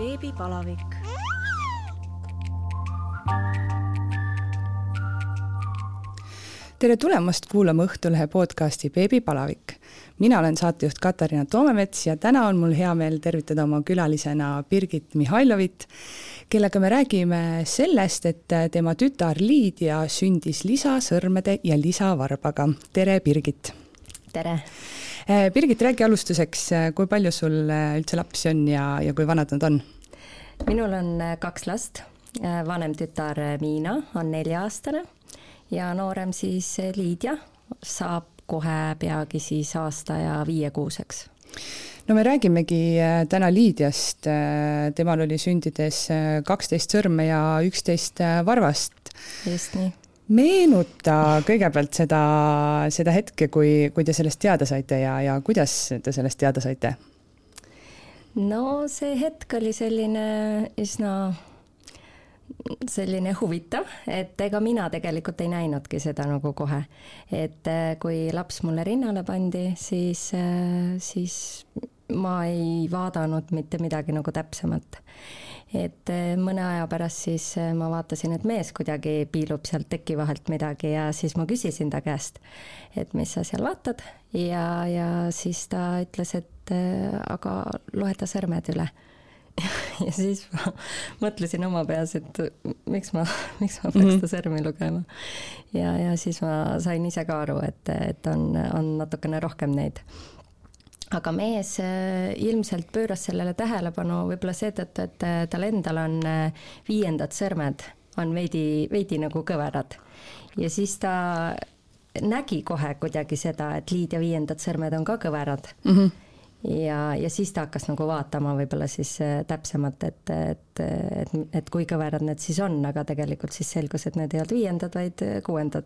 Beebipalavik. Tere tulemast kuulama Õhtulehe podcasti Beebipalavik. Mina olen saatejuht Katariina Toomemets ja täna on mul hea meel tervitada oma külalisena Birgit Mihhailovit, kellega me räägime sellest, et tema tütar Liidia sündis lisasõrmede ja lisavarbaga. Tere, Birgit! Tere! Birgit, räägi alustuseks, kui palju sul üldse lapsi on ja kui vanad nad on? Minul on 2 last. Vanem tütar Miina on 4-aastane ja noorem siis Liidia saab kohe peagi siis aasta ja 5-kuuseks. No me räägimegi täna Liidiast. Temal oli sündides 12 sõrme ja 11 varvast. Just nii. Meenuta kõigepealt seda hetke, kui te sellest teada saite ja kuidas te sellest teada saite? No see hetk oli üsna selline huvitav, et ega mina tegelikult ei näinudki seda nagu kohe. Et kui laps mulle rinnale pandi, siis ma ei vaadanud mitte midagi nagu täpsemalt. Et mõne aja pärast siis ma vaatasin, et mees kuidagi piilub sealt teki vahelt midagi ja siis ma küsisin ta käest, et mis sa seal vaatad ja siis ta ütles, et aga loeta sõrmed üle. Ja siis ma mõtlesin oma peas, et miks ma peaks ta sõrmi lugema. Ja siis ma sain ise ka aru, et on natukene rohkem neid. Aga mees ilmselt pööras sellele tähelepanu võib-olla seetõttu, et tal endal on 5. sõrmed on veidi nagu kõverad. Ja siis ta nägi kohe kuidagi seda, et Liidia 5. sõrmed on ka kõverad. Ja siis ta hakkas nagu vaatama võib-olla siis täpsemalt, et kui kõverad need siis on, aga tegelikult siis selgus, et need ei olnud 5., vaid 6.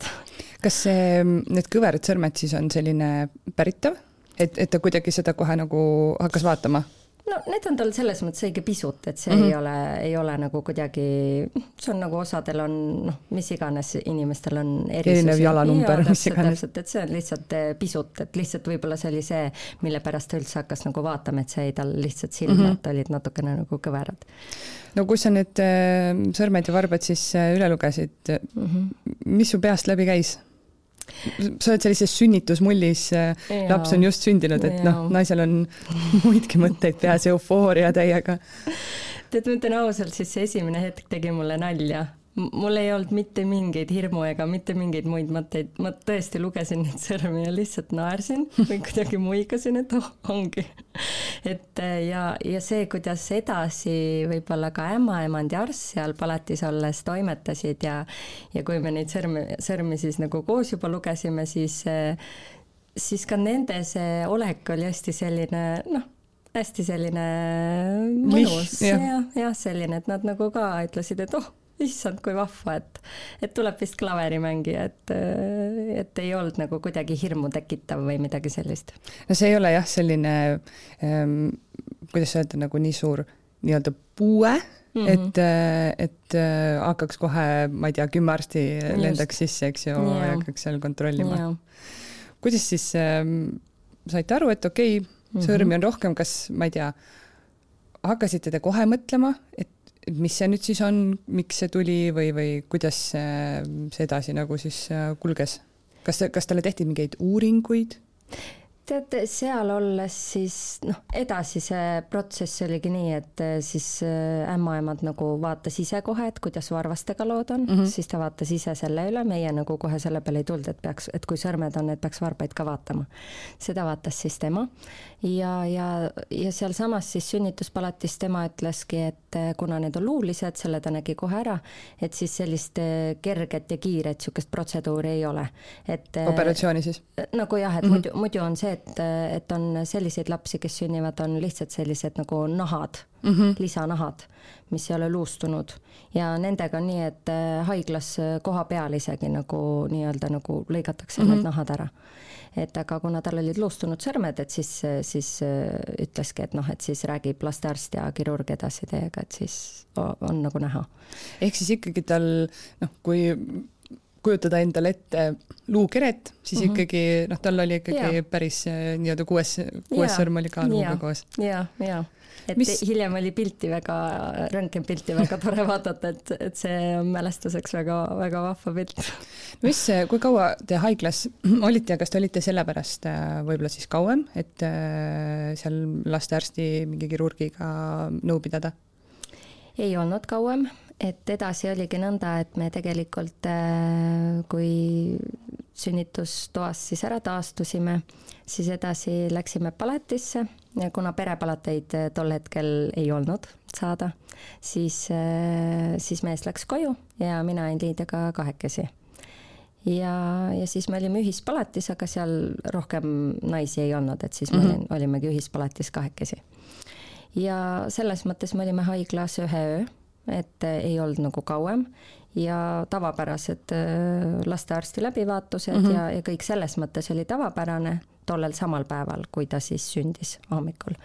Kas need kõverad sõrmed siis on selline päritav? Et ta kuidagi seda kohe nagu hakkas vaatama? No need on tal selles mõttes õige pisut, et see ei ole nagu kuidagi, see on nagu osadel on, mis iganes inimestel on erinev jalanumber, mis iganes. Et see on lihtsalt pisut, et lihtsalt võib-olla see oli see, mille pärast ta üldse hakkas nagu vaatama, et see ei tal lihtsalt silma, et olid natukene nagu kõverad. No kui sa need sõrmed ja varbad siis üle lugesid, mis su peast läbi käis? Sa oled sellises sünnitusmullis, laps on just sündinud, et naisel on muidki mõtteid peas, eufooria täiega. Tead, ma ütlen ausalt, siis see esimene hetk tegi mulle nalja. Mul ei olnud mitte mingeid hirmu ega mitte mingeid muid mõtteid. Ma tõesti lugesin neid sõrmi ja lihtsalt naersin või kuidagi muigasin, et ongi. Ja see, kuidas edasi võib-olla ka ämmaemand ja arst seal palatis olles toimetasid ja kui me neid sõrmi siis nagu koos juba lugesime, siis ka nende see olek oli hästi selline mõnus. Ja selline, et nad nagu ka ütlesid, et issand, kui vahva, et tuleb vist klaverimängija, et ei olnud nagu kuidagi hirmu tekitav või midagi sellist. No see ei ole jah selline, kuidas öelda, nagu nii suur nii-öelda puue, et hakkaks kohe, ma ei tea, 10 arsti lendaks sisse, eks ju, ja hakkaks seal kontrollima. Ja. Kuidas siis saite aru, et okei, sõrmi on rohkem, kas, ma ei tea, hakkasite te kohe mõtlema, et mis see nüüd siis on, miks see tuli või kuidas see edasi nagu siis kulges? Kas talle tehti mingeid uuringuid? Tead, seal olles siis, edasi see protsess oligi nii, et siis ämmaemad nagu vaatas ise kohe, et kuidas varvastega lood on, siis ta vaatas ise selle üle, meie nagu kohe selle peale ei tulnud, et kui sõrmed on, et peaks varbaid ka vaatama. Seda vaatas siis tema ja seal samas siis sünnituspalatis tema ütleski, et kuna need on luulised, selle ta nägi kohe ära, et siis sellist kerget ja kiiret sükest protseduuri ei ole. Operatsiooni siis? Nagu jah, et muidu on see, et on selliseid lapsi, kes sünnivad, on lihtsalt sellised nagu nahad, lisanahad, mis ei ole luustunud. Ja nendega on nii, et haiglas koha peal isegi nagu nii-öelda nagu lõigatakse need nahad ära. Et aga kuna tal olid luustunud sõrmed, et siis ütleski, et siis räägib lastearst ja kirurg edasi teiega, et siis on nagu näha. Ehk siis ikkagi tal, kui kujutada endale ette luukeret, siis ikkagi, tal oli ikkagi päris nii-öelda kuues sõrm oli ka luuga koos. Ja. Et hiljem oli röntgenpilti väga tore vaadata, et see on mälestuseks väga, väga vahva pilt. Kui kaua te haiglas olite ja kas te olite sellepärast võib-olla siis kauem, et seal lastearsti mingi kirurgiga nõu pidada? Ei olnud kauem, et edasi oligi nõnda, et me tegelikult, kui sünnitustoas siis ära taastusime, siis edasi läksime palatisse ja kuna perepalateid tol hetkel ei olnud saada, siis mees läks koju ja mina olin Liidiaga kahekesi. Ja siis me olime ühispalatis, aga seal rohkem naisi ei olnud, et siis me olimegi ühispalatis kahekesi. Ja selles mõttes me olime haiglas 1 öö, et ei olnud nagu kauem ja tavapärased lastearsti läbivaatused ja kõik selles mõttes oli tavapärane tollel samal päeval, kui ta siis sündis hommikul.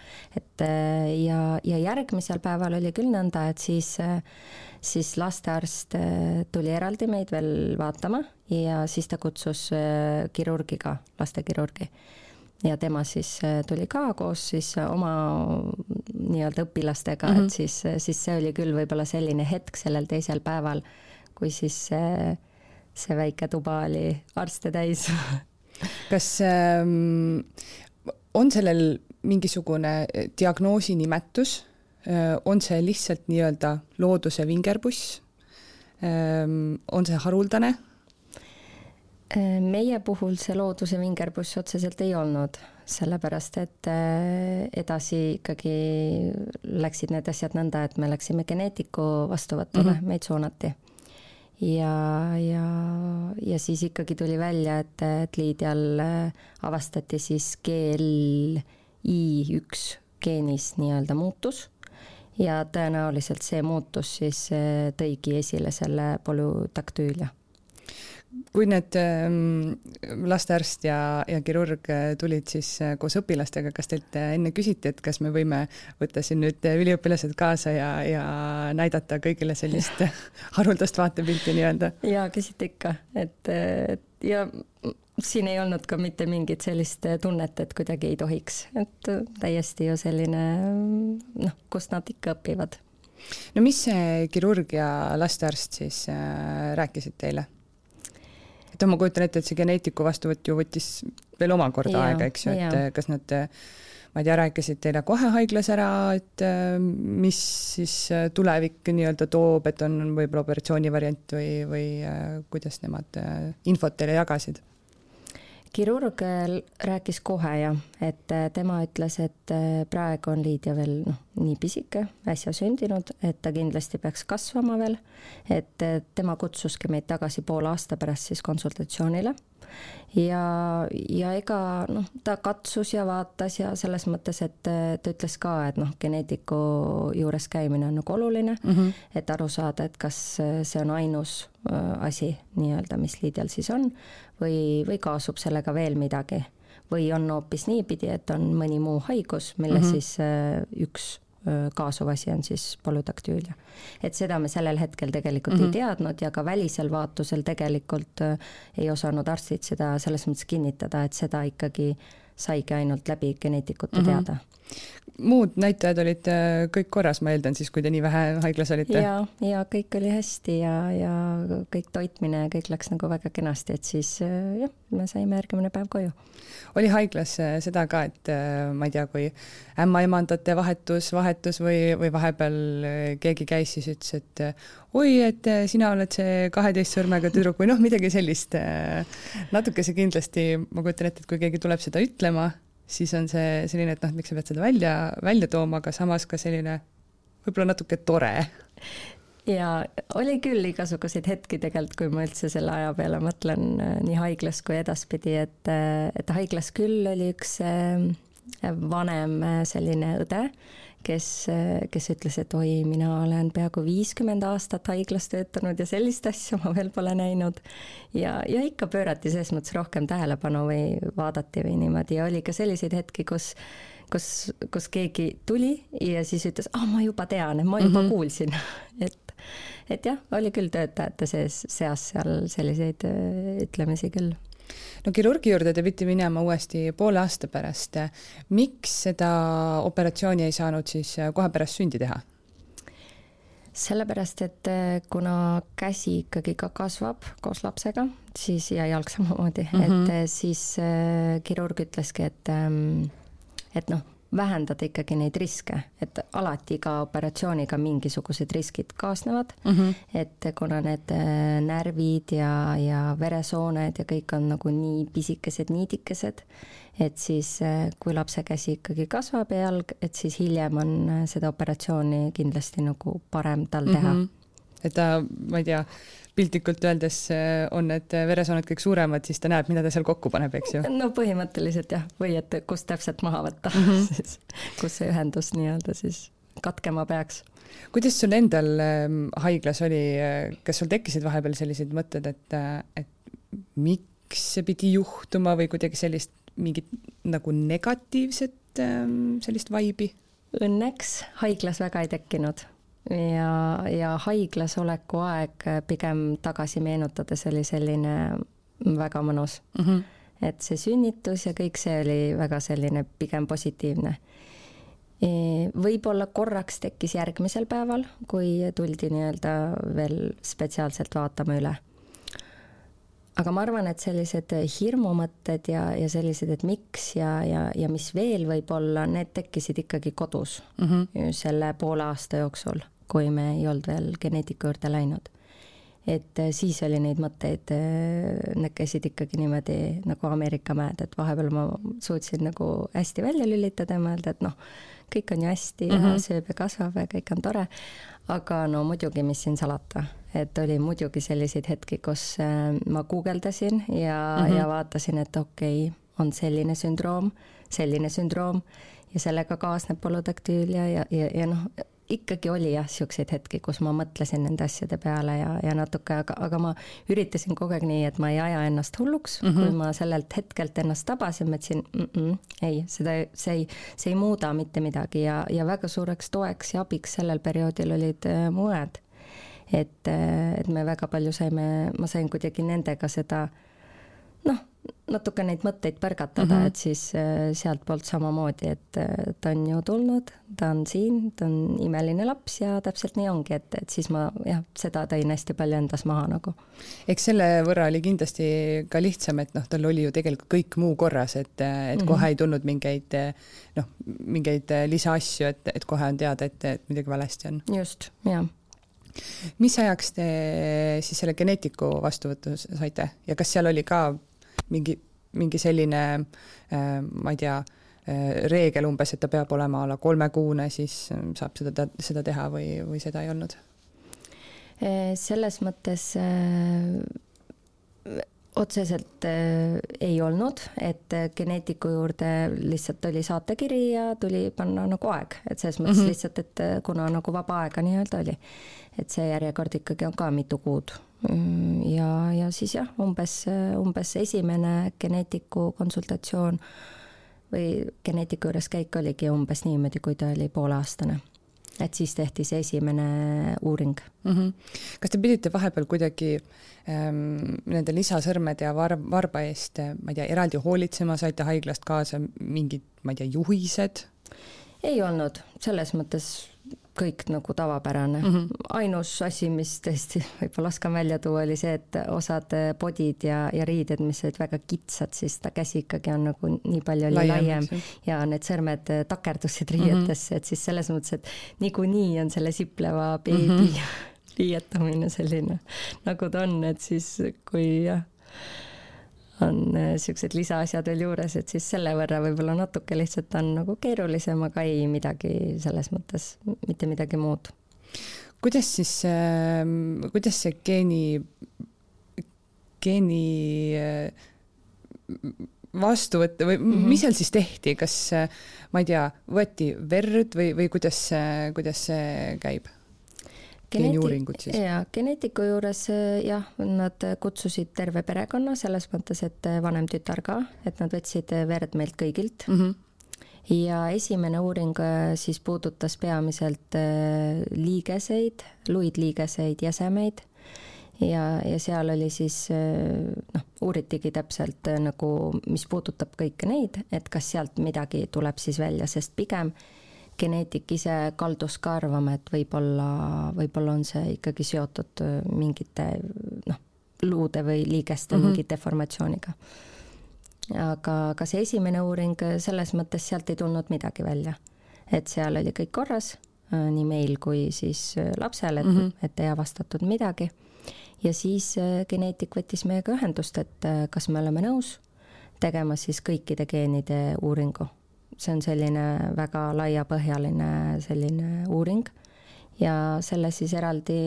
Ja järgmisel päeval oli küll nõnda, et siis lastearst tuli eraldi meid veel vaatama ja siis ta kutsus kirurgiga, lastekirurgi. Ja tema siis tuli ka koos siis oma nii-öelda õpilastega, et siis see oli küll võib-olla selline hetk sellel teisel päeval, kui siis see väike tuba oli arste täis. Kas on sellel mingisugune diagnoosi nimetus? On see lihtsalt nii-öelda looduse vingerbuss? On see haruldane? Meie puhul see looduse vingerbuss otseselt ei olnud, sellepärast et edasi ikkagi läksid need asjad nõnda, et me läksime geneetiku vastuvõtule, meid suunati. Ja siis ikkagi tuli välja, et Liidial avastati siis GLI1 geenis nii-öelda muutus ja tõenäoliselt see muutus siis tõigi esile selle polüdaktüülia. Kui need lastearst ja kirurg tulid siis koos õpilastega, kas teilt enne küsiti, et kas me võime võtta siin nüüd üliõpilased kaasa ja näidata kõigile sellist haruldast vaatepilti nii-öelda? Ja küsiti ikka, ja siin ei olnud ka mitte mingit sellist tunnet, et kuidagi ei tohiks, et täiesti ju selline, kust nad ikka õpivad. No mis see kirurg ja lastearst siis rääkisid teile? Et ma kujutan ette, et see geneetiku vastuvõtt ju võttis veel omakorda aega, eks ju, et kas nad, ma ei tea, rääkisid teile kohe haiglas ära, et mis siis tulevik nii-öelda toob, et on võib-olla operatsioonivariant või kuidas nemad infot teile jagasid? Kirurg rääkis kohe et tema ütles, et praegu on Liidia veel nii pisike, äsja sündinud, et ta kindlasti peaks kasvama veel, et tema kutsuski meid tagasi poole aasta pärast siis konsultatsioonile ja ega ta katsus ja vaatas ja selles mõttes, et ta ütles ka, et geneetiku juures käimine on nagu oluline, et aru saada, et kas see on ainus asi nii-öelda, mis Liidial siis on või kaasub sellega veel midagi või on hoopis niipidi, et on mõni muu haigus, mille siis üks kaasuv asi on siis polüdaktüülia. Et seda me sellel hetkel tegelikult ei teadnud ja ka välisel vaatusel tegelikult ei osanud arstid seda selles mõttes kinnitada, et seda ikkagi saigi ainult läbi geneetikute teada. Muud näitajad olid kõik korras, ma eeldan siis, kui te nii vähe haiglas olite? Ja kõik oli hästi ja kõik toitmine ja kõik läks nagu väga kenasti, et siis me saime järgmine päev koju. Oli haiglas seda ka, et ma ei tea, kui ämmaemandate vahetus või vahepeal keegi käis siis ütles, et oi, et sina oled see 12 sõrmega tüdruk või midagi sellist. Natuke see kindlasti, ma kujutan ette, et kui keegi tuleb seda ütlema, siis on see selline, et miks sa pead seda välja tooma, aga samas ka selline võib-olla natuke tore. Ja oli küll igasuguseid hetki tegelikult, kui ma üldse selle aja peale mõtlen nii haiglas kui edaspidi, et haiglas küll oli üks vanem selline õde, kes ütles, et oi, mina olen peaaegu 50 aastat haiglas töötanud ja sellist asja ma veel pole näinud. Ja ikka pöörati selles mõttes rohkem tähelepanu või vaadati või niimoodi ja oli ka selliseid hetki, kus keegi tuli ja siis ütles, ma juba tean, ma juba kuulsin, et jah, oli küll töötajate seas seal selliseid ütlemisi küll. No kirurgi juurde te pidi minema uuesti poole aasta pärast. Miks seda operatsiooni ei saanud siis kohe pärast sündi teha? Sellepärast, et kuna käsi ikkagi ka kasvab koos lapsega, siis ja jalg samamoodi, et siis kirurg ütleski, et noh, vähendada ikkagi neid riske, et alati iga operatsiooniga mingisugused riskid kaasnevad, et kuna need närvid ja veresooned ja kõik on nagu nii pisikesed, niidikesed, et siis kui lapse käsi ikkagi kasvab ja jalg, et siis hiljem on seda operatsiooni kindlasti nagu parem tal teha. Et ta, ma ei tea, piltlikult öeldes on need veresooned kõik suuremad, siis ta näeb, mida ta seal kokku paneb, eks ju? No põhimõtteliselt jah, või et kus täpselt maha võtta, siis, kus see ühendus nii-öelda siis katkema peaks. Kuidas sul endal haiglas oli, kas sul tekkisid vahepeal sellised mõtted, et miks see pidi juhtuma või kuidagi sellist mingit nagu negatiivset sellist vaibi? Õnneks haiglas väga ei tekkinud ja haiglas oleku aeg pigem tagasi meenutades oli selline väga mõnus. Et see sünnitus ja kõik see oli väga selline pigem positiivne. Võib-olla korraks tekkis järgmisel päeval, kui tuldi nii-öelda veel spetsiaalselt vaatama üle. Aga ma arvan, et sellised hirmumõtted ja sellised, et miks ja mis veel võib olla, need tekkisid ikkagi kodus selle poole aasta jooksul, kui me ei olnud veel geneetiku juurde läinud. Et siis oli neid mõtteid, need käisid ikkagi niimoodi nagu Ameerika mäed, et vahepeal ma suutsin nagu hästi välja lülitada ja mõelda, et noh, kõik on ju hästi ja sööb ja kasvab ja kõik on tore. Aga no muidugi, mis siin salata, et oli muidugi selliseid hetki, kus ma guugeldasin ja vaatasin, et okei, on selline sündroom ja sellega kaasneb polüdaktüülia ja noh, ikkagi oli jah, siukseid hetki, kus ma mõtlesin nende asjade peale ja natuke, aga ma üritasin kogu aeg nii, et ma ei aja ennast hulluks, kui ma sellelt hetkelt ennast tabasin, mõtlesin, ei, see ei muuda mitte midagi ja väga suureks toeks ja abiks sellel perioodil olid mued. Et me väga palju ma sain kuidagi nendega seda, noh, natuke neid mõtteid pärgatada, et siis sealt poolt samamoodi, et ta on ju tulnud, ta on siin, ta on imeline laps ja täpselt nii ongi, et siis ma jah, seda tõin hästi palju endas maha nagu. Eks selle võrra oli kindlasti ka lihtsam, et noh, tal oli ju tegelikult kõik muu korras, et kohe ei tulnud mingeid lisaasju, et kohe on teada, et midagi valesti on. Just, jah. Mis ajaks te siis selle geneetiku vastuvõttu saite ja kas seal oli ka mingi selline, ma ei tea, reegel umbes, et ta peab olema alla 3 kuune, siis saab seda teha või seda ei olnud? Selles mõttes otseselt ei olnud, et geneetiku juurde lihtsalt oli saatekiri ja tuli panna nagu aeg, et selles mõttes lihtsalt, et kuna nagu vaba aega nii-öelda oli, et see järjekord ikkagi on ka mitu kuud. Ja siis jah, umbes esimene geneetiku konsultatsioon või geneetiku juures käik oligi umbes niimoodi, kui ta oli pooleaastane. Et siis tehti see esimene uuring. Kas te pidite vahepeal kuidagi nende lisasõrmede ja varba eest, ma ei tea, eraldi hoolitsema, saite haiglast kaasa mingid, ma ei tea, juhised? Ei olnud, selles mõttes kõik nagu tavapärane. Ainus asi, mis tõesti võib-olla oskan välja tuua, oli see, et osad podid ja riided, mis olid väga kitsad, siis ta käsi ikkagi on nagu nii palju laiem ja need sõrmed takerdusid riietesse, et siis selles mõttes, et niikuinii on selle sipleva beebi riietamine selline, nagu ta on, et siis kui on siuksed lisaasjad veel juures, et siis selle võrra võib-olla natuke lihtsalt on nagu keerulisem, aga ei midagi selles mõttes, mitte midagi muud. Kuidas see geeni vastuvõtte või mis seal siis tehti? Kas, ma ei tea, võeti verd või kuidas see käib? Geeniuuringud siis? Geneetiku juures jah, nad kutsusid terve perekonna selles mõttes, et vanem tütar ka, et nad võtsid verd meilt kõigilt ja esimene uuring siis puudutas peamiselt liigeseid, luidliigeseid, jäsemeid ja seal oli siis, uuritigi täpselt nagu, mis puudutab kõike neid, et kas sealt midagi tuleb siis välja, sest pigem geneetik ise kaldus ka arvama, et võib-olla on see ikkagi seotud mingite luude või liigeste mingi deformatsiooniga. Aga see esimene uuring, selles mõttes sealt ei tulnud midagi välja. Et seal oli kõik korras, nii meil kui siis lapsel, et ei avastatud midagi. Ja siis geneetik võttis meiega ühendust, et kas me oleme nõus tegema siis kõikide geenide uuringu. See on selline väga laiapõhjaline selline uuring ja selle siis eraldi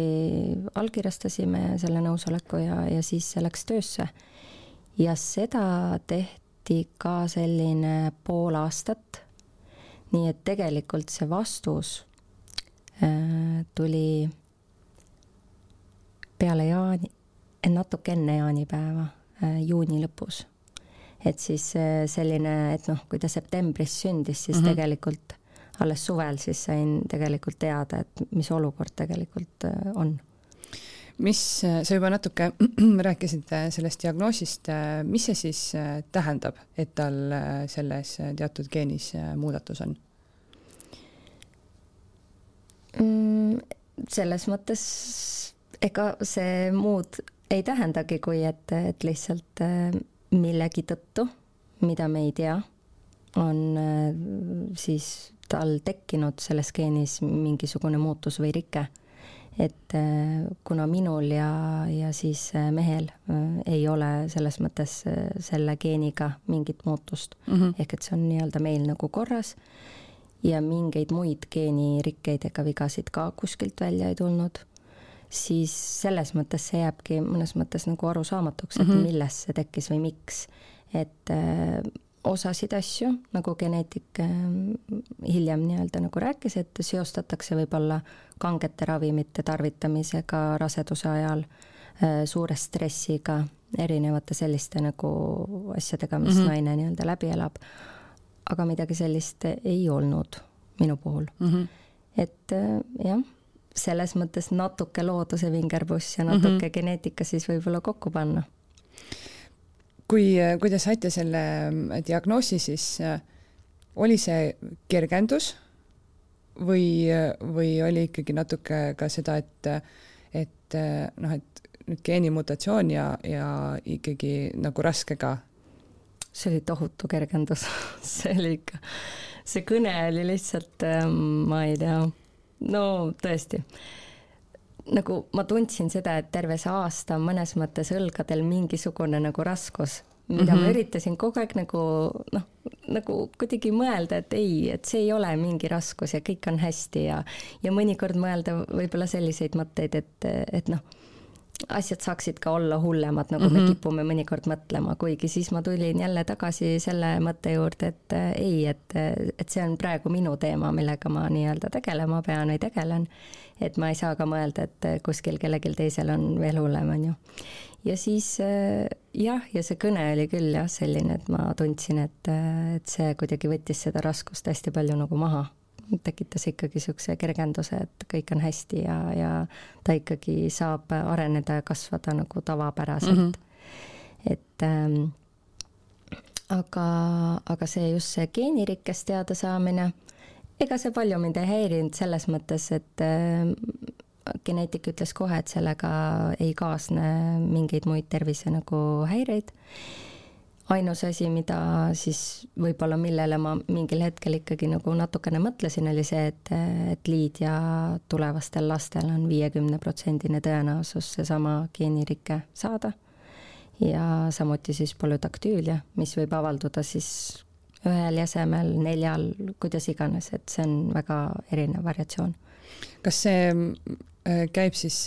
allkirjastasime selle nõusoleku ja siis see läks töösse. Ja seda tehti ka selline pool aastat, nii et tegelikult see vastus tuli peale natuke enne jaanipäeva, juuni lõpus. Et siis selline, et kui ta septembris sündis, siis tegelikult alles suvel siis sain tegelikult teada, et mis olukord tegelikult on. Sa juba natuke rääkisid sellest diagnoosist, mis see siis tähendab, et tal selles teatud geenis muudatus on? Selles mõttes ega see muud ei tähendagi, kui et lihtsalt millegi tõttu, mida me ei tea, on siis tal tekkinud selles geenis mingisugune muutus või rike. Et kuna minul ja siis mehel ei ole selles mõttes selle geeniga mingit muutust, ehk et see on nii-öelda meil nagu korras ja mingeid muid geenirikkeid ega vigasid ka kuskilt välja ei tulnud, siis selles mõttes see jääbki mõnes mõttes nagu arusaamatuks, et millest see tekkis või miks. Et osasid asju, nagu geneetik hiljem nii-öelda nagu rääkis, et seostatakse võib-olla kangete ravimite tarvitamisega raseduse ajal, suure stressiga, erinevate selliste nagu asjadega, mis naine nii-öelda läbi elab. Aga midagi sellist ei olnud minu puhul. Et jah, selles mõttes natuke looduse vingerbuss ja natuke geneetika siis võib-olla kokku panna. Kui te saite selle diagnoosi, siis oli see kergendus või oli ikkagi natuke ka seda, et nüüd geenimutatsioon ja ikkagi nagu raske ka? See oli tohutu kergendus. See oli ikka, see kõne oli lihtsalt, ma ei tea, no tõesti. Nagu ma tundsin seda, et terve see aasta mõnes mõttes õlgadel mingisugune nagu raskus, mida ma üritasin kogu aeg nagu kuidagi mõelda, et ei, et see ei ole mingi raskus ja kõik on hästi ja mõnikord mõelda võib-olla selliseid mõtteid, et asjad saaksid ka olla hullemad, nagu me kipume mõnikord mõtlema, kuigi siis ma tulin jälle tagasi selle mõtte juurde, et ei, et see on praegu minu teema, millega ma nii-öelda tegelema pean või tegelen, et ma ei saa ka mõelda, et kuskil kellelgi teisel on veel hullem, on ju. Ja siis ja see kõne oli küll jah selline, et ma tundsin, et see kuidagi võttis seda raskust hästi palju nagu maha. Tekitas ikkagi sükse kergenduse, et kõik on hästi ja ta ikkagi saab areneda ja kasvada nagu tavapäraselt. Et aga see just see geenirikkest teada saamine, ega see palju mind ei häirinud selles mõttes, et geneetik ütles kohe, et sellega ei kaasne mingeid muid tervise nagu häireid. Ainus asi, mida siis võib-olla millele ma mingil hetkel ikkagi nagu natukene mõtlesin, oli see, et liid ja tulevastel lastel on 50% tõenäosus seesama geenirikke saada. Ja samuti siis polüdaktüülia, mis võib avalduda siis ühel jäsemel, 4, kuidas iganes, et see on väga erinev variatsioon. Kas see käib siis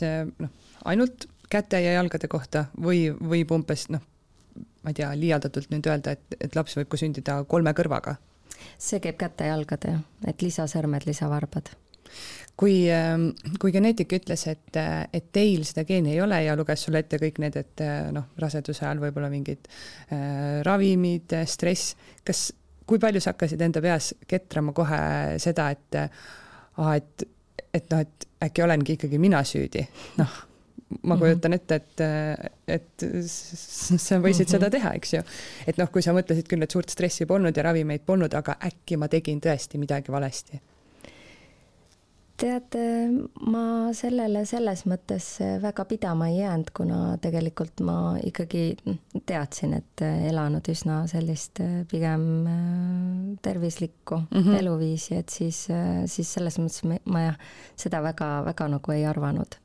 ainult käte ja jalgade kohta või võib umbes, ma ei tea, liialdatult nüüd öelda, et laps võib sündida 3 kõrvaga? See käib käte ja jalgade, et lisasõrmed, lisavarbad. Kui geneetik ütles, et teil seda geeni ei ole ja luges sulle ette kõik need, et raseduse ajal võib-olla mingid ravimid, stress, kas kui palju sa hakkasid enda peas ketrama kohe seda, et äkki olengi ikkagi mina süüdi. Noh, ma kujutan ette, et sa võisid seda teha, eks ju. Et noh, kui sa mõtlesid küll, et suurt stressi polnud ja ravimeid polnud, aga äkki ma tegin tõesti midagi valesti. Tead, ma sellele selles mõttes väga pidama ei jäänud, kuna tegelikult ma ikkagi teadsin, et elanud üsna sellist pigem tervislikku eluviisi, et siis selles mõttes ma seda väga nagu ei arvanud.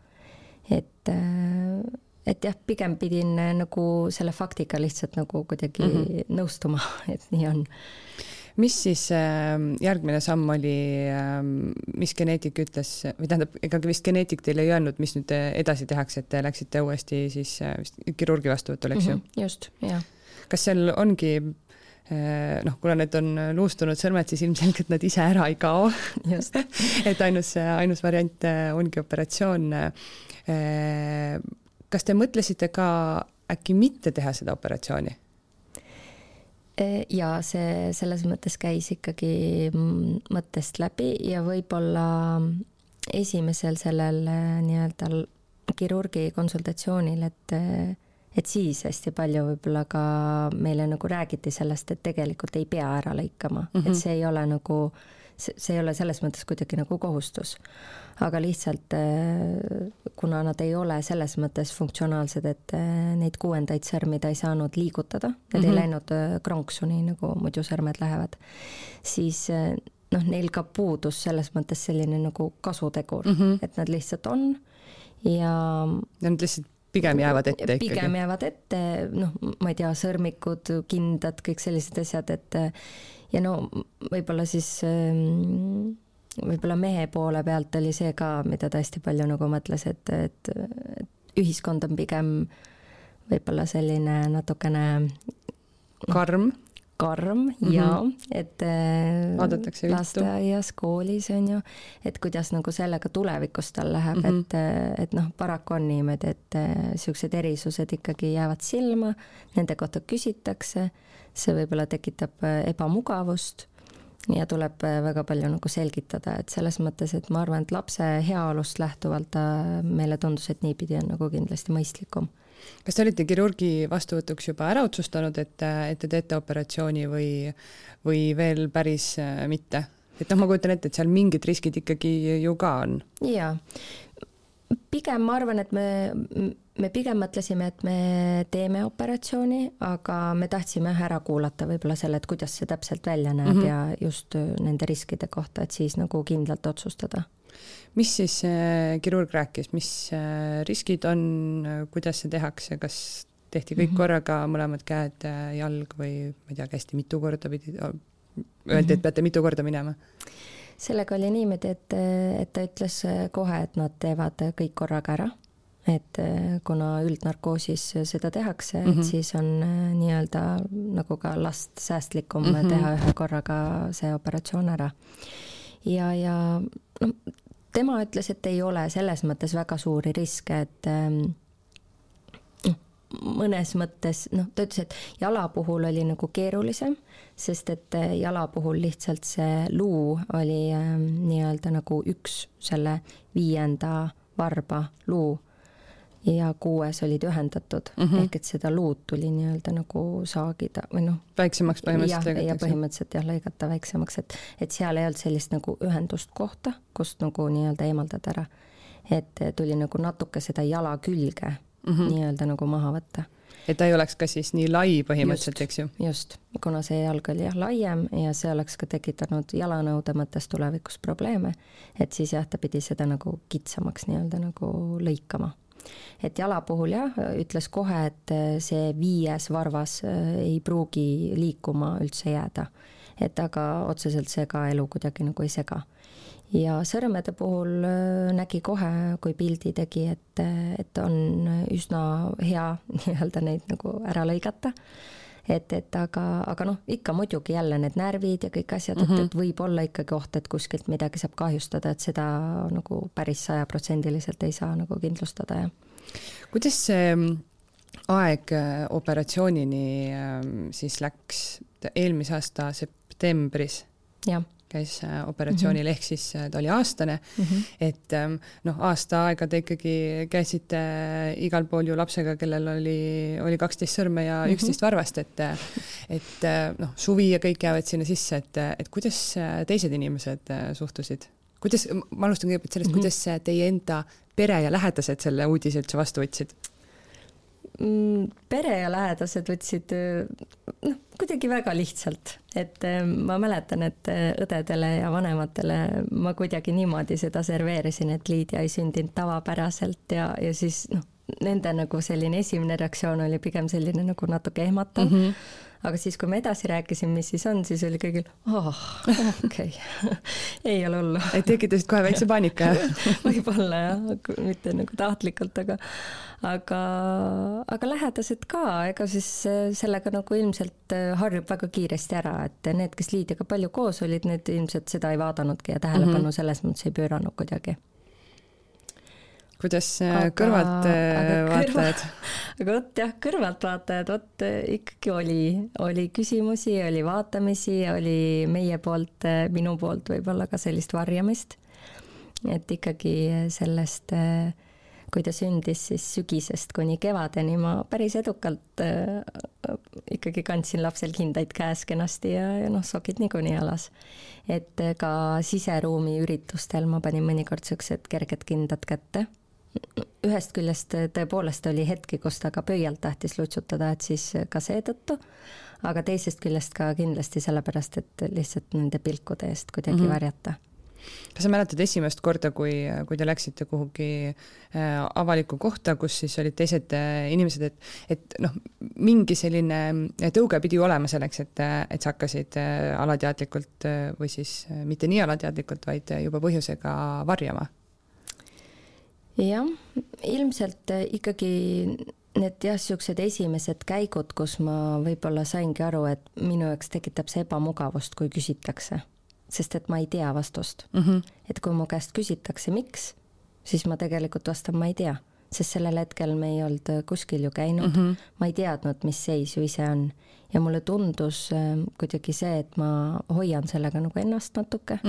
Et jah, pigem pidin nagu selle faktiga lihtsalt nagu kuidagi nõustuma, et nii on. Mis siis järgmine samm oli, mis geneetik ütles, või tähendab, ega vist geneetik teile ei öelnud, mis nüüd edasi tehakse, et te läksite uuesti siis kirurgi vastuvõtul, eks ju? Just, jah. Kas seal ongi, noh, kuna need on luustunud sõrmed, siis ilmselgelt nad ise ära ei kao. Just. Et ainus variant ongi operatsioon. Kas te mõtlesite ka äkki mitte teha seda operatsiooni? Ja see selles mõttes käis ikkagi mõttest läbi ja võib-olla esimesel sellel nii-öelda kirurgi konsultatsioonil, et siis hästi palju võib-olla ka meile nagu räägiti sellest, et tegelikult ei pea ära lõikama, et see ei ole nagu, see ei ole selles mõttes kuidagi nagu kohustus. Aga lihtsalt, kuna nad ei ole selles mõttes funktsionaalsed, et neid 6. sõrmi ta ei saanud liigutada, need ei läinud kronksuni, nagu muidu sõrmed lähevad, siis noh, neil ka puudus selles mõttes selline nagu kasutegur, et nad lihtsalt on ja nad lihtsalt pigem jäävad ette ikkagi. Pigem jäävad ette, noh, ma ei tea, sõrmikud, kindad, kõik sellised asjad, et ja no võib-olla siis võib-olla mehe poole pealt oli see ka, mida ta hästi palju nagu mõtles, et ühiskond on pigem võib-olla selline natukene karm ja et lasteaias, koolis on ju, et kuidas nagu sellega tulevikus tal läheb, et noh, paraku on niimoodi, et sellised erisused ikkagi jäävad silma, nende kohta küsitakse, see võib-olla tekitab ebamugavust ja tuleb väga palju nagu selgitada, et selles mõttes, et ma arvan, et lapse heaolust lähtuvalt meile tundus, et niipidi on nagu kindlasti mõistlikum. Kas te olite kirurgi vastuvõtuks juba ära otsustanud, et te teete operatsiooni või veel päris mitte? Et noh, ma kujutan ette, et seal mingid riskid ikkagi ju ka on. Jaa. Pigem ma arvan, et me pigem mõtlesime, et me teeme operatsiooni, aga me tahtsime ära kuulata võib-olla selle, et kuidas see täpselt välja näeb ja just nende riskide kohta, et siis nagu kindlalt otsustada. Mis siis kirurg rääkis, mis riskid on, kuidas see tehakse, kas tehti kõik korraga mõlemad käed, jalg või ma ei tea, kästi mitu korda pidi, öeldi, et peate mitu korda minema? Sellega oli niimoodi, et ta ütles kohe, et nad teevad kõik korraga ära, et kuna üldnarkoosis seda tehakse, et siis on nii-öelda nagu ka last säästlikum teha ühe korraga see operatsioon ära. Ja no, tema ütles, et ei ole selles mõttes väga suuri riske, et mõnes mõttes, noh, ta ütles, et jala puhul oli nagu keerulisem, sest et jala puhul lihtsalt see luu oli nii-öelda nagu üks selle 5. varba luu ja 6 olid ühendatud, ehk et seda luud tuli nii-öelda nagu saagida või noh. Väiksemaks põhimõtteliselt lõigatakse. Ja põhimõtteliselt jah, lõigata väiksemaks, et seal ei olnud sellist nagu ühendust kohta, kust nagu nii-öelda eemaldada ära. Et tuli nagu natuke seda jala külge nii-öelda nagu maha võtta. Et ta ei oleks ka siis nii lai põhimõtteliselt, eks ju? Just, kuna see jalg oli laiem ja see oleks ka tekitanud jalanõude mõttes tulevikus probleeme, et siis jah, ta pidi seda nagu kitsamaks nii-öelda nagu lõikama. Et jala puhul jah, ütles kohe, et see 5. varvas ei pruugi liikuma üldse jääda, et aga otseselt see ka elu kuidagi nagu ei sega. Ja sõrmede puhul nägi kohe, kui pildi tegi, et on üsna hea nii-öelda neid nagu ära lõigata. Aga noh, ikka muidugi jälle need närvid ja kõik asjad, et võib olla ikkagi oht, et kuskilt midagi saab kahjustada, et seda nagu päris 100% ei saa nagu kindlustada. Ja. Kuidas see aeg operatsioonini siis läks? Eelmise aasta septembris käis operatsioonil, ehk siis ta oli aastane, et aasta aega te ikkagi käisite igal pool ju lapsega, kellel oli 12 sõrme ja 11 varvast, et suvi ja kõik jäävad sinna sisse, et kuidas teised inimesed suhtusid? Ma alustan kõigepealt sellest, kuidas teie enda pere ja lähedased selle uudise üldse vastu võtsid? Pere ja lähedased võtsid kuidagi väga lihtsalt, et ma mäletan, et õdedele ja vanematele ma kuidagi niimoodi seda serveerisin, et Liidia ei sündinud tavapäraselt ja siis nende nagu selline esimene reaktsioon oli pigem selline nagu natuke ehmatav. Aga siis, kui me edasi rääkisin, mis siis on, siis oli kõigil, okei, ei ole hullu. Et tekitasid kohe väikse paanika, jah? Võib-olla, jah, mitte nagu tahtlikult, aga lähedased ka, ega siis sellega nagu ilmselt harjub väga kiiresti ära, et need, kes Liidiaga palju koos olid, need ilmselt seda ei vaadanudki ja tähelepanu selles mõttes ei pööranud kuidagi. Kuidas kõrvalt vaatajad? Aga kõrvalt vaatajad, ikkagi oli küsimusi, oli vaatamisi, oli meie poolt, minu poolt võib-olla ka sellist varjamist. Et ikkagi sellest, kui ta sündis siis sügisest kuni kevadeni, ma päris edukalt ikkagi kandsin lapsel kindaid käes kenasti ja sokid niikuinii alas. Et ka siseruumi üritustel ma panin mõnikord sellised kerged kindad kätte. Ühest küljest tõepoolest oli hetki, kus ta ka pöialt tahtis lutsutada, et siis ka seetõttu, aga teisest küljest ka kindlasti sellepärast, et lihtsalt nende pilkude eest kuidagi varjata. Kas sa mäletad esimest korda, kui te läksite kuhugi avaliku kohta, kus siis olid teised inimesed, et mingi selline tõuge pidi olema selleks, et sa hakkasid alateadlikult või siis mitte nii alateadlikult, vaid juba põhjusega varjama? Jah, ilmselt ikkagi need sellised esimesed käigud, kus ma võib-olla saingi aru, et minu jaoks tekitab see ebamugavust, kui küsitakse, sest et ma ei tea vastust. Et kui mu käest küsitakse, miks, siis ma tegelikult vastan, ma ei tea, sest sellel hetkel me ei olnud kuskil ju käinud, ma ei teadnud, mis seis ju ise on ja mulle tundus kuidagi see, et ma hoian sellega nagu ennast natuke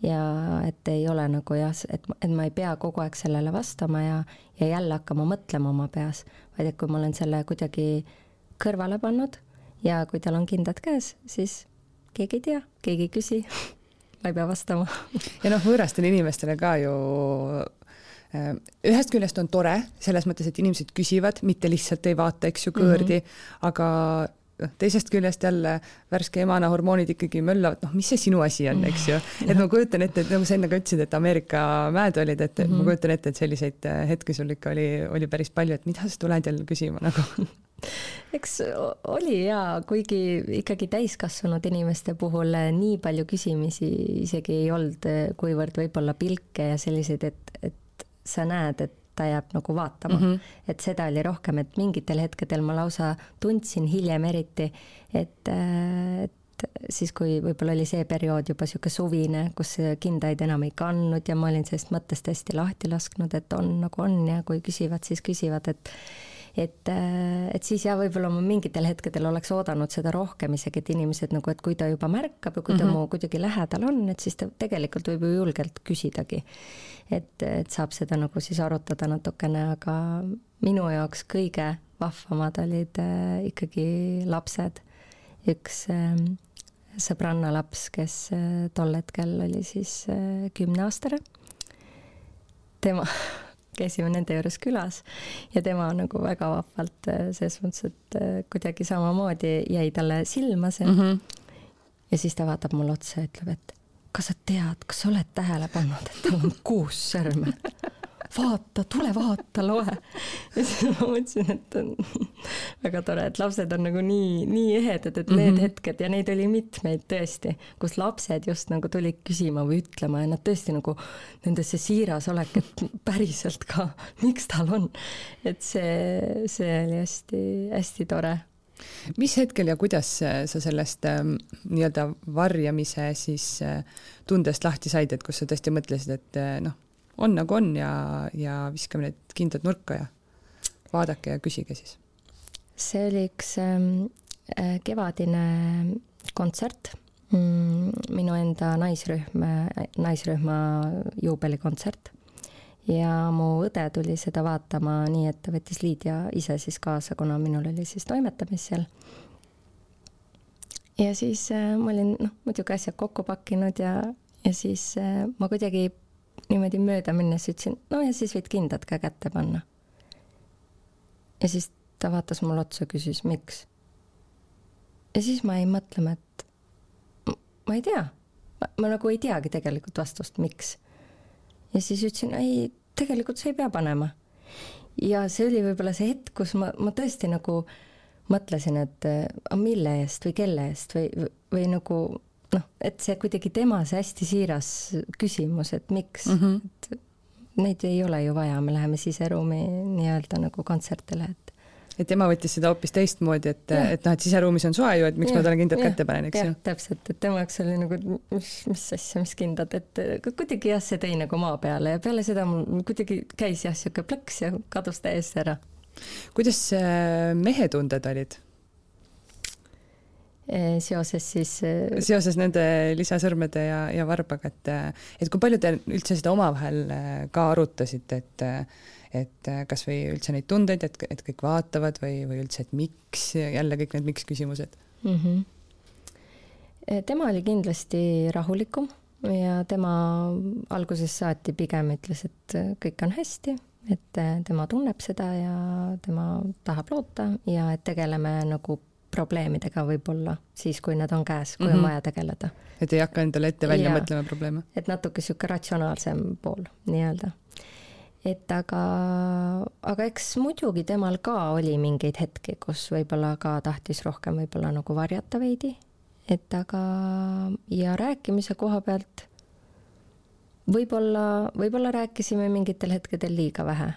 ja et ei ole nagu et ma ei pea kogu aeg sellele vastama ja jälle hakkama mõtlema oma peas, vaid et kui ma olen selle kuidagi kõrvale pannud ja kui tal on kindad käes, siis keegi ei tea, keegi ei küsi, ma ei pea vastama. Ja võõrastele inimestele ka ju ühest küljest on tore, selles mõttes, et inimesed küsivad, mitte lihtsalt ei vaata, eks ju, kõõrdi, aga teisest küljest jälle värske emana hormoonid ikkagi möllavad, mis see sinu asi on, eks ju. Et ma kujutan ette, et nagu sa enne ka ütlesid, et Ameerika mäed olid, et ma kujutan ette, et selliseid hetki sul ikka oli päris palju, et mida sa tuled jälle küsima nagu? Eks oli kuigi ikkagi täiskasvanud inimeste puhul nii palju küsimisi isegi ei olnud, kuivõrd võib-olla pilke ja selliseid, et sa näed, et ta jääb nagu vaatama. Et seda oli rohkem, et mingitel hetkedel ma lausa tundsin hiljem eriti, et siis kui võib-olla oli see periood juba siuke suvine, kus kindaid enam ei kandnud ja ma olin sellest mõttest hästi lahti lasknud, et on nagu on ja kui küsivad, siis küsivad, et siis võib-olla ma mingitel hetkedel oleks oodanud seda rohkem isegi, et inimesed nagu, et kui ta juba märkab ja kui ta mu kuidagi lähedal on, et siis ta tegelikult võib ju julgelt küsidagi. Et saab seda nagu siis arutada natukene, aga minu jaoks kõige vahvamad olid ikkagi lapsed. Üks sõbranna laps, kes tol hetkel oli siis 10-aastane. Tema käisime nende juures külas ja tema nagu väga vahvalt selles mõttes, et kuidagi samamoodi jäi talle silma see. Ja siis ta vaatab mulle otsa ja ütleb, et kas sa tead, kas sa oled tähele pannud, et tal on 6 sõrme? Vaata, tule vaata, loe. Ja siis ma mõtlesin, et on väga tore, et lapsed on nagu nii ehedad, et need hetked ja neid oli mitmeid tõesti, kus lapsed just nagu tulid küsima või ütlema ja nad tõesti nagu nendesse siiras olek, et päriselt ka, miks tal on. Et see oli hästi tore. Mis hetkel ja kuidas sa sellest nii-öelda varjamise siis tundest lahti said, et kus sa tõesti mõtlesid, et on nagu on ja viskame need kindad nurka ja vaadake ja küsige siis? See oli üks kevadine kontsert minu enda naisrühma juubelikontsert ja mu õde tuli seda vaatama nii, et ta võttis Liidia ise siis kaasa, kuna minul oli siis toimetamis seal. Ja siis ma olin muidugi asjad kokku pakkinud ja siis ma kuidagi niimoodi mööda minnes ütlesin, ja siis võid kindad ka kätte panna. Ja siis ta vaatas mul otsa, küsis, miks? Ja siis ma jäin mõtlema, et ma ei tea. Ma nagu ei teagi tegelikult vastust, miks. Ja siis ütlesin, ei, tegelikult sa ei pea panema. Ja see oli võib-olla see hetk, kus ma tõesti nagu mõtlesin, et mille eest või kelle eest või nagu, et see kuidagi tema see hästi siiras küsimus, et miks. Et neid ei ole ju vaja, me läheme siseruumi nii-öelda nagu kontsertile, et tema võttis seda hoopis teistmoodi, et siseruumis on soe ju, et miks ma talle kindad kätte panen, eks ju? Jah, täpselt, et tema jaoks oli nagu, mis asja, mis kindad, et kuidagi see tõi nagu maa peale ja peale seda mul kuidagi käis siuke plõks ja kadus täiesti ära. Kuidas mehetunded olid? Seoses nende lisasõrmede ja varbaga, et kui palju te üldse seda omavahel ka arutasite, et kas või üldse neid tundeid, et kõik vaatavad või üldse, et miks, jälle kõik need miks küsimused? Tema oli kindlasti rahulikum ja tema alguses saati pigem ütles, et kõik on hästi, et tema tunneb seda ja tema tahab loota ja et tegeleme nagu probleemidega võib-olla siis, kui nad on käes, kui on vaja tegeleda. Et ei hakka endale ette välja mõtlema probleeme? Et natuke siuke ratsionaalsem pool nii-öelda. Et aga eks muidugi temal ka oli mingeid hetki, kus võib-olla ka tahtis rohkem võib-olla nagu varjata veidi. Et aga ja rääkimise koha pealt võib-olla rääkisime mingitel hetkedel liiga vähe.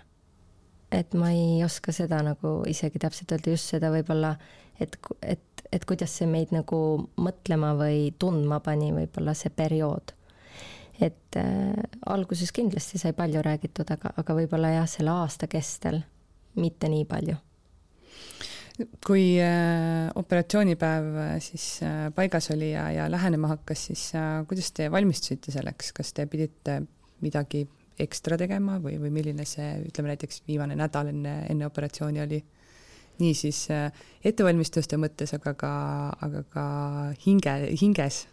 Et ma ei oska seda nagu isegi täpselt öelda just seda võib-olla, et kuidas see meid nagu mõtlema või tundma pani võib-olla see periood. Et alguses kindlasti sai palju räägitud, aga võib-olla jah, selle aasta kestel mitte nii palju. Kui operatsioonipäev siis paigas oli ja lähenema hakkas, siis kuidas te valmistusite selleks? Kas te pidite midagi ekstra tegema või milline see, ütleme näiteks viimane nädal enne operatsiooni oli? Nii siis ettevalmistuste mõttes, aga ka hinges?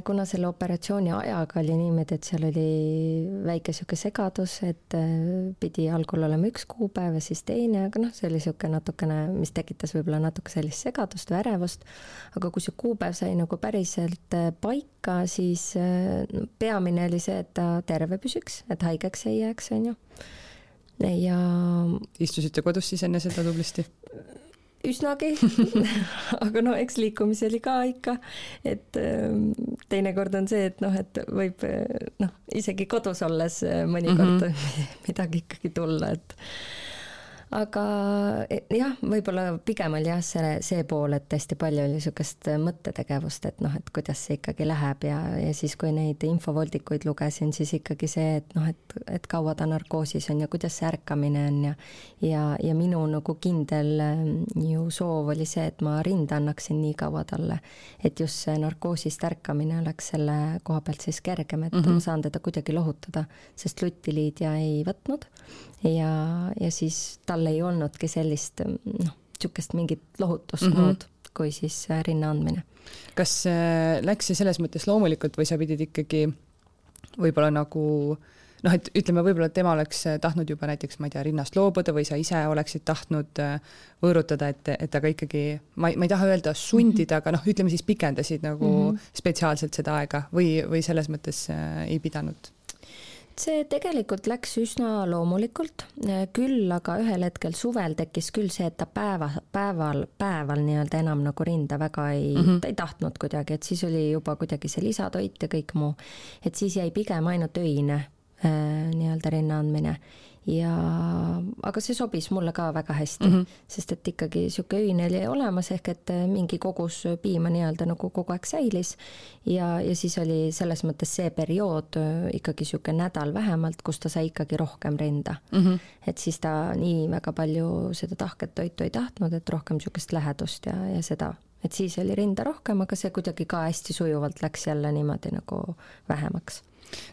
Kuna selle operatsiooni ajaga oli niimoodi, et seal oli väike siuke segadus, et pidi algul olema üks kuupäev ja siis teine, aga see oli siuke natukene, mis tekitas võib-olla natuke sellist segadust või ärevust, aga kui see kuupäev sai nagu päriselt paika, siis peamine oli see, et ta terve püsiks, et haigeks ei jääks, on ju. Ja istusite kodus siis enne seda tublisti? Üsnagi, aga eks liikumisi oli ka ikka, et teinekord on see, et võib isegi kodus olles mõnikord midagi ikkagi tulla, et aga jah, võib-olla pigem oli jah see pool, et hästi palju oli niisugust mõttetegevust, et et kuidas see ikkagi läheb ja siis, kui neid infovoldikuid lugesin, siis ikkagi see, et kaua ta narkoosis on ja kuidas see ärkamine on ja minu nagu kindel ju soov oli see, et ma rinda annaksin nii kaua talle, et just see narkoosist ärkamine oleks selle koha pealt siis kergem, et ma saan teda kuidagi lohutada, sest Lutiliidia ei võtnud ja siis tal ei olnudki sellist niisugust mingit lohutust muud kui siis rinna andmine. Kas läks see selles mõttes loomulikult või sa pidid ikkagi võib-olla nagu et ütleme, võib-olla tema oleks tahtnud juba näiteks, ma ei tea, rinnast loobuda või sa ise oleksid tahtnud võõrutada, et aga ikkagi, ma ei taha öelda sundida, aga ütleme siis pikendasid nagu spetsiaalselt seda aega või selles mõttes ei pidanud? See tegelikult läks üsna loomulikult, küll aga ühel hetkel suvel tekkis küll see, et ta päeval nii-öelda enam nagu rinda väga ta ei tahtnud kuidagi, et siis oli juba kuidagi see lisatoit ja kõik muu, et siis jäi pigem ainult öine nii-öelda rinna andmine. Aga see sobis mulle ka väga hästi, sest et ikkagi siuke öine oli olemas ehk et mingi kogus piima nii-öelda nagu kogu aeg säilis ja siis oli selles mõttes see periood ikkagi siuke nädal vähemalt, kus ta sai ikkagi rohkem rinda. Et siis ta nii väga palju seda tahket toitu ei tahtnud, et rohkem siukest lähedust ja seda et siis oli rinda rohkem, aga see kuidagi ka hästi sujuvalt läks jälle niimoodi nagu vähemaks.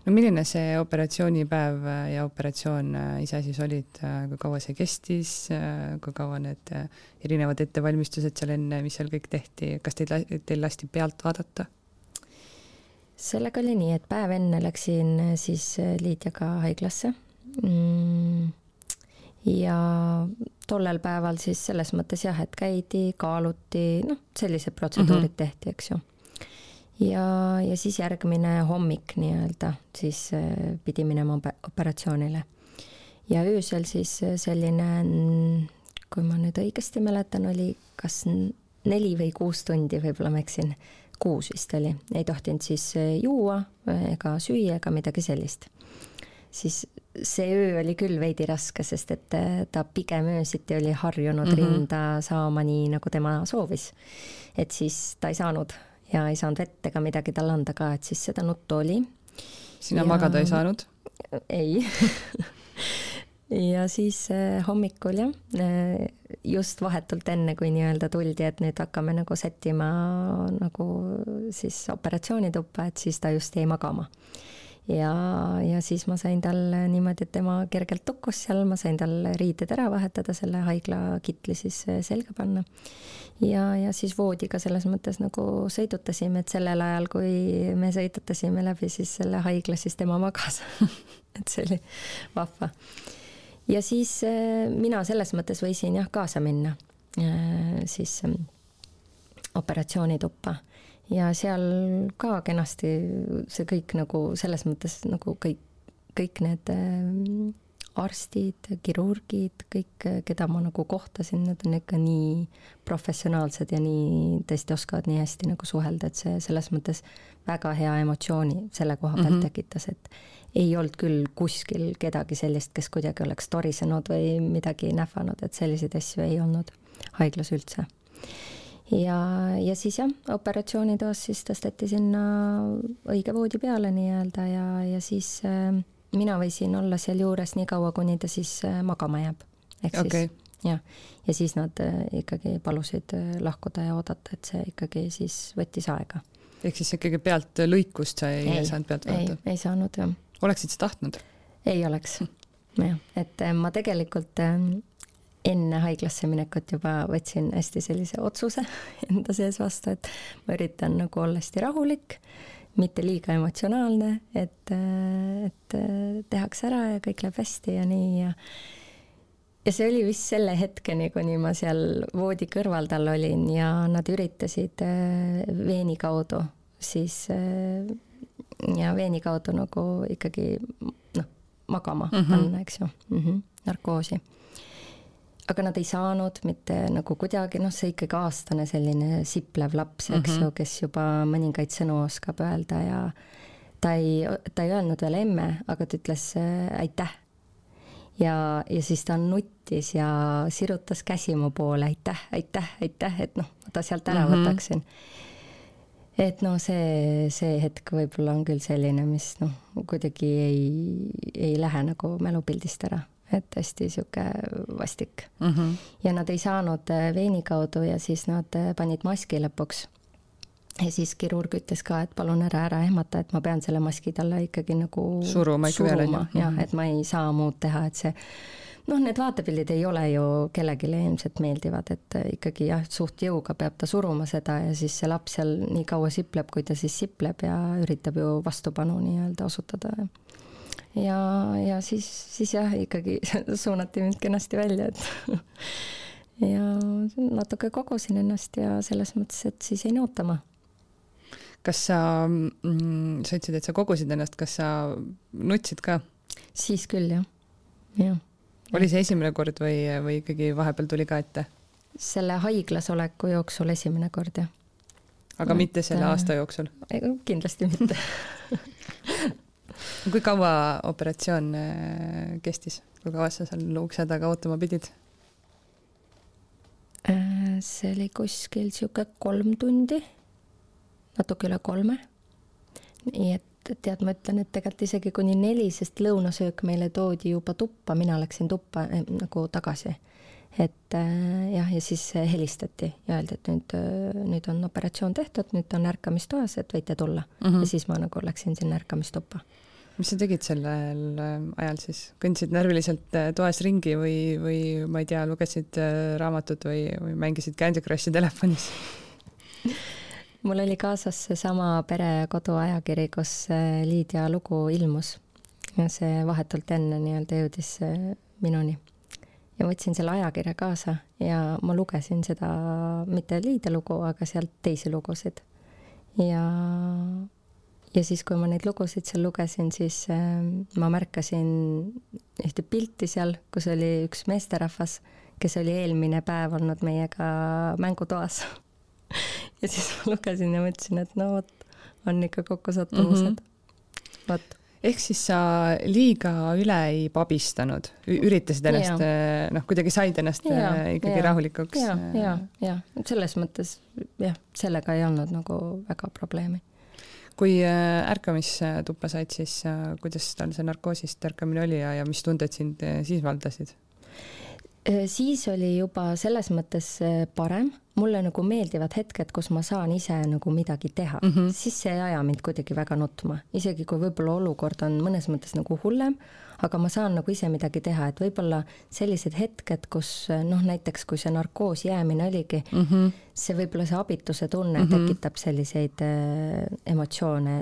No milline see operatsioonipäev ja operatsioon ise siis olid, kui kaua see kestis, kui kaua need erinevad ettevalmistused seal enne, mis seal kõik tehti, kas teil lasti pealt vaadata? Sellega oli nii, et päev enne läksin siis Liidiaga haiglasse ja tollel päeval siis selles mõttes jah, et käidi, kaaluti, sellised protseduurid tehti, eks ju. Ja siis järgmine hommik nii-öelda, siis pidi minema operatsioonile. Ja öösel siis selline, kui ma nüüd õigesti mäletan, oli kas 4 või 6 tundi, võib-olla ma eksin, 6 vist oli. Ei tohtinud siis juua ega süüa ega midagi sellist. Siis see öö oli küll veidi raske, sest et ta pigem öösiti oli harjunud rinda saama nii, nagu tema soovis. Et siis ta ei saanud ja ei saanud vett ega midagi tal anda ka, et siis seda nuttu oli. Sina magada ei saanud? Ei. Ja siis hommikul just vahetult enne, kui nii-öelda tuldi, et nüüd hakkame nagu sättima nagu siis operatsioonituppa, et siis ta just jäi magama. Ja siis ma sain tal niimoodi, et tema kergelt tukkus seal, ma sain tal riided ära vahetada, selle haigla kitli siis selga panna. Ja siis voodiga selles mõttes nagu sõidutasime, et sellel ajal, kui me sõidutasime läbi siis selle haigla, siis tema magas. Et see oli vahva. Ja siis mina selles mõttes võisin jah kaasa minna siis operatsioonituppa. Ja seal ka kenasti see kõik nagu selles mõttes nagu kõik need arstid, kirurgid, kõik, keda ma nagu kohtasin, need on ikka nii professionaalsed ja nii tõesti oskavad nii hästi nagu suhelda, et see selles mõttes väga hea emotsiooni selle koha pealt tekitas, et ei olnud küll kuskil kedagi sellist, kes kuidagi oleks torisenud või midagi nähvanud, et selliseid asju ei olnud haiglas üldse. Ja siis jah, operatsioonitoas siis tõsteti sinna õige voodi peale nii-öelda ja siis mina võisin olla seal juures nii kaua, kuni ta siis magama jääb. Okay. Ja siis nad ikkagi palusid lahkuda ja oodata, et see ikkagi siis võttis aega. Ehk siis ikkagi pealt lõikust sa ei saanud pealt vaadata? Ei saanud, jah. Oleksid sa tahtnud? Ei oleks. Ja, et ma tegelikult enne haiglasse minekut juba võtsin hästi sellise otsuse enda sees vastu, et ma üritan nagu olla hästi rahulik, mitte liiga emotsionaalne, et tehakse ära ja kõik läheb hästi ja nii. Ja see oli vist selle hetkeni, kuni ma seal voodi kõrval tal olin ja nad üritasid veeni kaudu siis ja veeni kaudu nagu ikkagi magama panna, eks ju, narkoosi. Aga nad ei saanud mitte nagu kuidagi, see ikkagi aastane selline siplev laps, eks ju, kes juba mõningaid sõnu oskab öelda ja ta ei öelnud veel emme, aga ta ütles aitäh. Ja siis ta nuttis ja sirutas käsi mu poole, aitäh, et ta sealt ära võtaksin. Et see hetk võib-olla on küll selline, mis kuidagi ei lähe nagu mälupildist ära. Et hästi siuke vastik. Ja nad ei saanud veeni kaudu ja siis nad panid maski lõpuks. Ja siis kirurg ütles ka, et palun ära ehmata, et ma pean selle maski talle ikkagi nagu suruma. Ja, et ma ei saa muud teha, et see need vaatepildid ei ole ju kellelegi ilmselt meeldivad, et ikkagi jah, suht jõuga peab ta suruma seda ja siis see laps seal nii kaua sipleb, kui ta siis sipleb ja üritab ju vastupanu nii-öelda osutada. Ja siis jah, ikkagi suunati mind kenasti välja, et ja natuke kogusin ennast ja selles mõttes, et siis ei ootama. Kas sa ütlesid, et sa kogusid ennast, kas sa nutsid ka? Siis küll, jah. Oli see esimene kord või ikkagi vahepeal tuli ka ette? Selle haiglas oleku jooksul esimene kord, jah. Aga mitte selle aasta jooksul? Kindlasti mitte. Kui kaua operatsioon kestis? Kui kaua sa seal ukse taga ootama pidid? See oli kuskil siuke 3 tundi, natuke üle 3. Nii et tead, ma ütlen, et tegelikult isegi kuni 4, sest lõunasöök meile toodi juba tuppa, mina läksin tuppa nagu tagasi. et jah, ja siis helistati ja öeldi, et nüüd on operatsioon tehtud, nüüd on ärkamistoas, et võite tulla. Ja siis ma nagu läksin sinna ärkamistuppa. Mis sa tegid sellel ajal siis? Kõndsid närviliselt toas ringi või ma ei tea, lugesid raamatut või mängisid Candy Crushi telefonis? Mul oli kaasas see sama Pere ja kodu ajakiri, kus Liidia lugu ilmus. Ja see vahetult enne nii-öelda jõudis minuni. Ja võtsin selle ajakirja kaasa ja ma lugesin seda, mitte Liidia lugu, aga sealt teisi lugusid. Ja siis, kui ma neid lugusid seal lugesin, siis ma märkasin ühte pilti seal, kus oli üks meesterahvas, kes oli eelmine päev olnud meiega mängutoas. Ja siis ma lugesin ja mõtlesin, et no vot, on ikka kokkusattumused. Vot. Ehk siis sa liiga üle ei pabistanud, üritasid ennast, kuidagi said ennast ikkagi rahulikuks. Ja, selles mõttes, sellega ei olnud nagu väga probleemi. Kui ärkamistuppa said, siis kuidas tal see narkoosist ärkamine oli ja mis tunded sind siis valdasid? Siis oli juba selles mõttes parem. Mulle nagu meeldivad hetked, kus ma saan ise nagu midagi teha. Siis see ei aja mind kuidagi väga nutma. Isegi kui võib-olla olukord on mõnes mõttes nagu hullem, aga ma saan nagu ise midagi teha. Et võib-olla sellised hetked, kus näiteks kui see narkoos jäämine oligi, see võib-olla see abituse tunne tekitab selliseid emotsioone,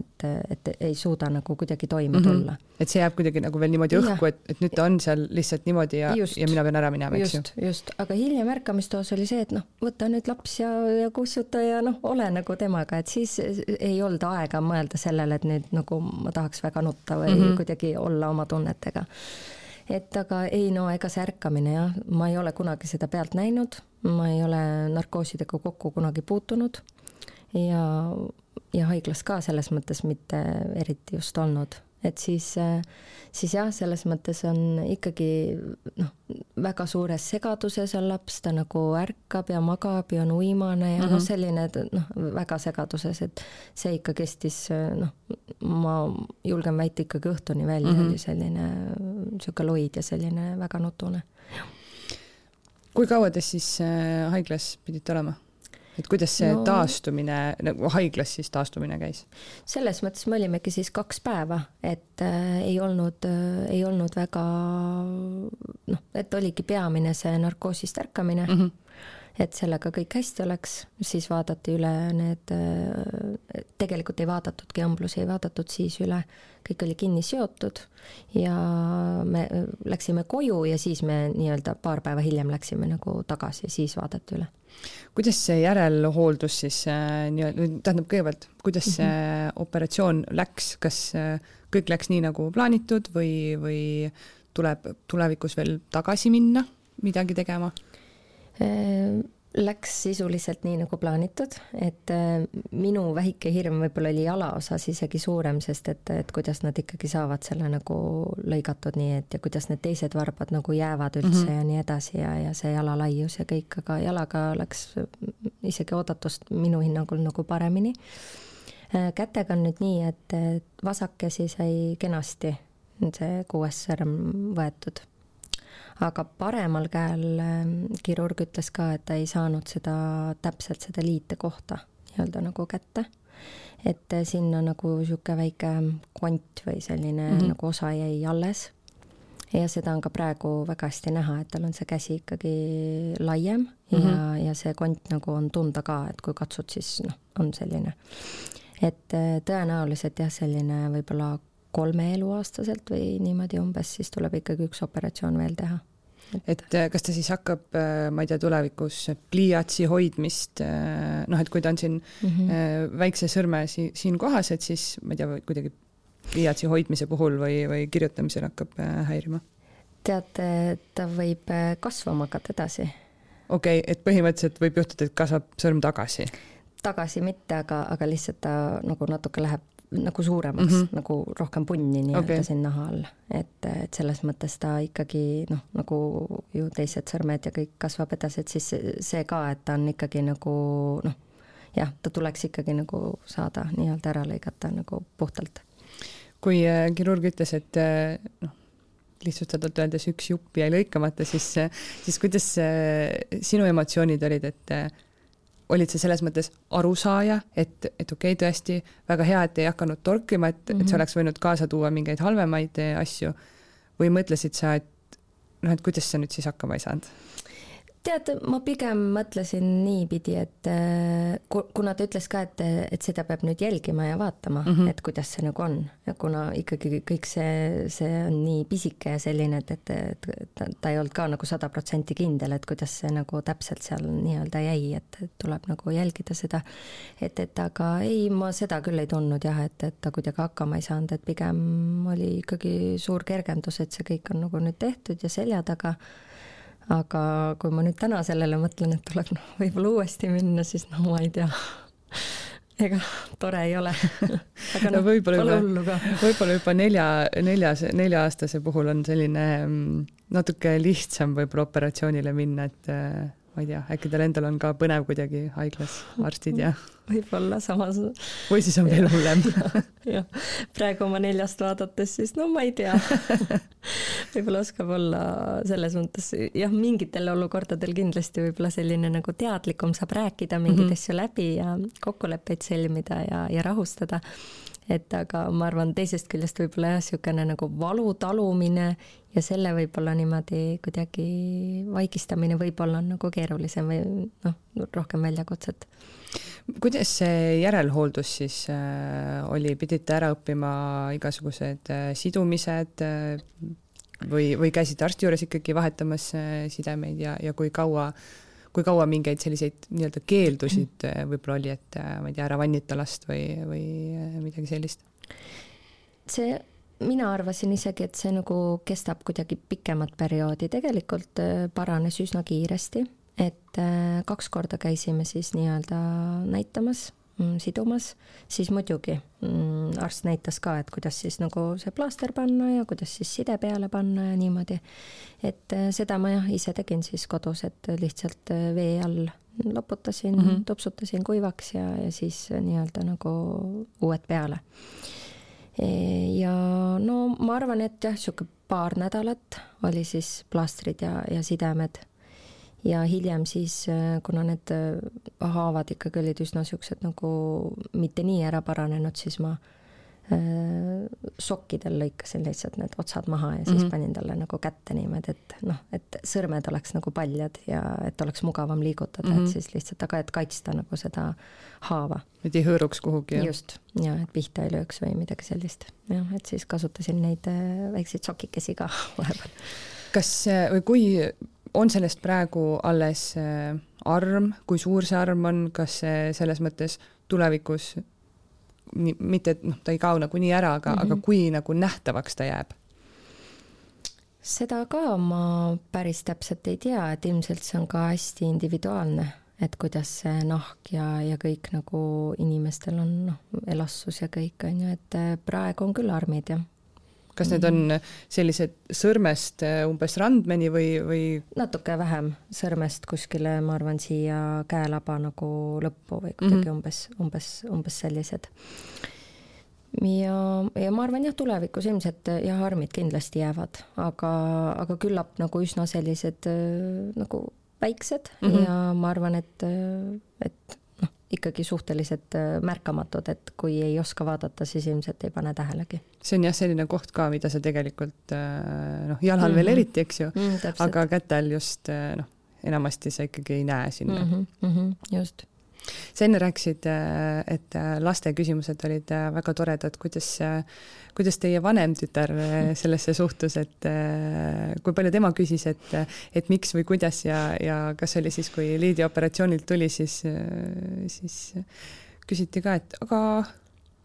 et ei suuda nagu kuidagi toime tulla. Et see jääb kuidagi nagu veel niimoodi õhku, et nüüd ta on seal lihtsalt niimoodi ja mina pean ära minema, eks ju. Just, aga hiljem ärkamistoos oli see, et võta nüüd laps ja kussuta ja ole nagu temaga, et siis ei olnud aega mõelda sellele, et nüüd nagu ma tahaks väga nutta või kuidagi olla oma tunnetega. Et aga ei, ega see ärkamine, ma ei ole kunagi seda pealt näinud, ma ei ole narkoosidega kokku kunagi puutunud ja haiglas ka selles mõttes mitte eriti just olnud. Et siis jah, selles mõttes on ikkagi väga suures segaduses on laps, ta nagu ärkab ja magab ja on uimane ja selline väga segaduses, et see ikka kestis, ma julgen väita ikkagi õhtuni välja, oli selline siuke loid ja selline väga nutune. Kui kaua te siis haiglas pidite olema? Et kuidas see taastumine, nagu haiglas siis taastumine käis? Selles mõttes me olimegi siis 2 päeva, et ei olnud väga, et oligi peamine see narkoosist ärkamine, et sellega kõik hästi oleks, siis vaadati üle need, tegelikult ei vaadatudki amblusi, ei vaadatud siis üle, kõik oli kinni seotud ja me läksime koju ja siis me nii-öelda 2 päeva hiljem läksime nagu tagasi ja siis vaadati üle. Kuidas see järelhooldus siis, tähendab kõigepealt, kuidas see operatsioon läks, kas kõik läks nii nagu plaanitud või tuleb tulevikus veel tagasi minna, midagi tegema? Läks sisuliselt nii nagu plaanitud, et minu väike hirm võib-olla oli jalaosas isegi suurem, sest et kuidas nad ikkagi saavad selle nagu lõigatud nii, et ja kuidas need teised varbad nagu jäävad üldse ja nii edasi ja see jalalaius ja kõik, aga jalaga läks isegi oodatust minu hinnangul nagu paremini. Kätega on nüüd nii, et vasakesi sai kenasti see 6. sõrm võetud. Aga paremal käel kirurg ütles ka, et ta ei saanud täpselt seda liite kohta nii-öelda nagu kätte. Et sinna nagu siuke väike kont või selline nagu osa jäi alles. Ja seda on ka praegu väga hästi näha, et tal on see käsi ikkagi laiem ja see kont nagu on tunda ka, et kui katsud, siis on selline. Et tõenäoliselt jah, selline võib-olla 3 eluaastaselt või niimoodi umbes, siis tuleb ikkagi üks operatsioon veel teha. Et kas ta siis hakkab, ma ei tea, tulevikus pliiatsi hoidmist, et kui ta on siin väikse sõrme siin kohas, et siis, ma ei tea, kuidagi pliiatsi hoidmise puhul või kirjutamisel hakkab häirima? Teate, ta võib kasvama hakata edasi. Okei, et põhimõtteliselt võib juhtuda, et kasvab sõrm tagasi? Tagasi mitte, aga lihtsalt ta nagu natuke läheb nagu suuremaks, nagu rohkem punni nii-öelda siin naha all. Et selles mõttes ta ikkagi, nagu ju teised sõrmed ja kõik kasvab edasi, et siis see ka, et ta on ikkagi nagu, ta tuleks ikkagi nagu saada nii-öelda ära lõigata nagu puhtalt. Kui kirurg ütles, et lihtsustatult öeldes üks jupp jäi lõikamata, siis kuidas sinu emotsioonid olid, et olid sa selles mõttes arusaaja, et okei, tõesti väga hea, et ei hakanud torkima, et see oleks võinud kaasa tuua mingeid halvemaid asju või mõtlesid sa, et kuidas sa nüüd siis hakkama ei saanud? Tead, ma pigem mõtlesin niipidi, et kuna ta ütles ka, et seda peab nüüd jälgima ja vaatama, et kuidas see nagu on. Ja kuna ikkagi kõik see on nii pisike ja selline, et ta ei olnud ka nagu 100% kindel, et kuidas see nagu täpselt seal nii-öelda jäi, et tuleb nagu jälgida seda. Et aga ei, ma seda küll ei tundnud jah, et ta kuidagi hakkama ei saanud, et pigem oli ikkagi suur kergendus, et see kõik on nagu nüüd tehtud ja selja taga. Aga kui ma nüüd täna sellele mõtlen, et tuleb võib-olla uuesti minna, siis ma ei tea. Ega tore ei ole. Aga võib-olla juba 4-aastase puhul on selline natuke lihtsam võib-olla operatsioonile minna, et ma ei tea, äkki tal endal on ka põnev kuidagi haiglas arstid ja võib-olla samas. Või siis on veel hullem. Ja, praegu oma 4 vaadates, siis ma ei tea. Võib-olla oskab olla selles mõttes, jah, mingitel olukordadel kindlasti võib-olla selline nagu teadlikum saab rääkida mingid asju läbi ja kokkuleppeid sõlmida ja rahustada. Et aga ma arvan, teisest küljest võib-olla jah, siukene nagu valu talumine ja selle võib-olla niimoodi kuidagi vaigistamine võib-olla on nagu keerulisem või rohkem väljakutset. Kuidas see järelhooldus siis oli? Pidite ära õppima igasugused sidumised või käisid arsti juures ikkagi vahetamas sidemeid ja kui kaua mingeid selliseid nii-öelda keeldusid võib-olla oli, et ma ei tea, ära vannita last või midagi sellist? Mina arvasin isegi, et see nagu kestab kuidagi pikemat perioodi. Tegelikult paranes üsna kiiresti, et 2 korda käisime siis nii-öelda näitamas, sidumas, siis muidugi arst näitas ka, et kuidas siis nagu see plaaster panna ja kuidas siis side peale panna ja niimoodi. Et seda ma jah ise tegin siis kodus, et lihtsalt vee all loputasin, tupsutasin kuivaks ja siis nii-öelda nagu uued peale. Ja ma arvan, et jah, siuke 2 nädalat oli siis plaastrid ja sidemed. Ja hiljem siis, kuna need haavad ikkagi olid üsna siuksed nagu mitte nii ära paranenud, siis ma sokkidel lõikasin lihtsalt need otsad maha ja siis panin talle nagu kätte niimoodi, et sõrmed oleks nagu paljad ja et oleks mugavam liigutada, et siis lihtsalt, aga et kaitsta nagu seda haava. Et ei hõõruks kuhugi. Just, ja et pihta ei lööks või midagi sellist. Ja, et siis kasutasin neid väikseid sokikesi ka vahepeal. Kas või kui on sellest praegu alles arm, kui suur see arm on, kas selles mõttes tulevikus mitte, et ta ei kao nagu nii ära, aga kui nagu nähtavaks ta jääb? Seda ka ma päris täpselt ei tea, et ilmselt see on ka hästi individuaalne, et kuidas see nahk ja kõik nagu inimestel on elassus ja kõik on ju, et praegu on küll armid ja kas need on sellised sõrmest umbes randmeni või? Natuke vähem sõrmest kuskile, ma arvan, siia käelaba nagu lõppu või kuidagi umbes sellised. Ja ma arvan, jah, tulevikus ilmselt jah, armid kindlasti jäävad, aga küllap nagu üsna sellised nagu väiksed ja ma arvan, et ikkagi suhteliselt märkamatud, et kui ei oska vaadata, siis ilmselt ei pane tähelegi. See on jah selline koht ka, mida sa tegelikult jalal veel eriti, eks ju, aga kätel just enamasti sa ikkagi ei näe sinna. Just. Sa enne rääkisid, et laste küsimused olid väga toredad, kuidas teie vanem tütar sellesse suhtus, et kui palju tema küsis, et miks või kuidas ja kas oli siis, kui Liidi operatsioonilt tuli, siis küsiti ka, et aga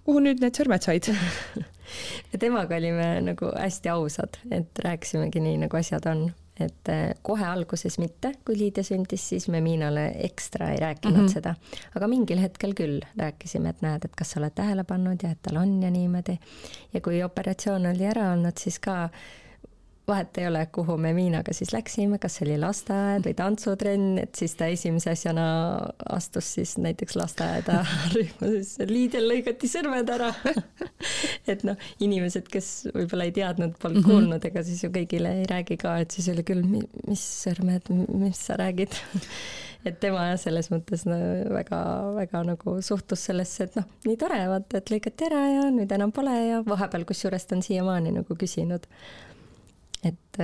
kuhu nüüd need sõrmed said? Ja temaga olime nagu hästi ausad, et rääkisimegi nii, nagu asjad on. Et kohe alguses mitte, kui Liidia sündis, siis me Miinale ekstra ei rääkinud seda. Aga mingil hetkel küll rääkisime, et näed, et kas sa oled tähele pannud ja et tal on ja niimoodi. Ja kui operatsioon oli ära olnud, siis ka vahet ei ole, kuhu me Miinaga siis läksime, kas oli lasteaed või tantsutrenn, et siis ta esimese asjana astus siis näiteks lasteaeda rühma, siis Liidel lõigati sõrmed ära. Et noh, inimesed, kes võib-olla ei teadnud, polnud kuulnud, ega siis ju kõigile ei räägi ka, et siis oli küll, mis sõrmed, mis sa räägid. Et tema selles mõttes no, väga nagu suhtus sellesse, et noh, nii tore, vaata, et lõigati ära ja nüüd enam pole ja vahepeal kusjuures ta on siiamaani nagu küsinud, et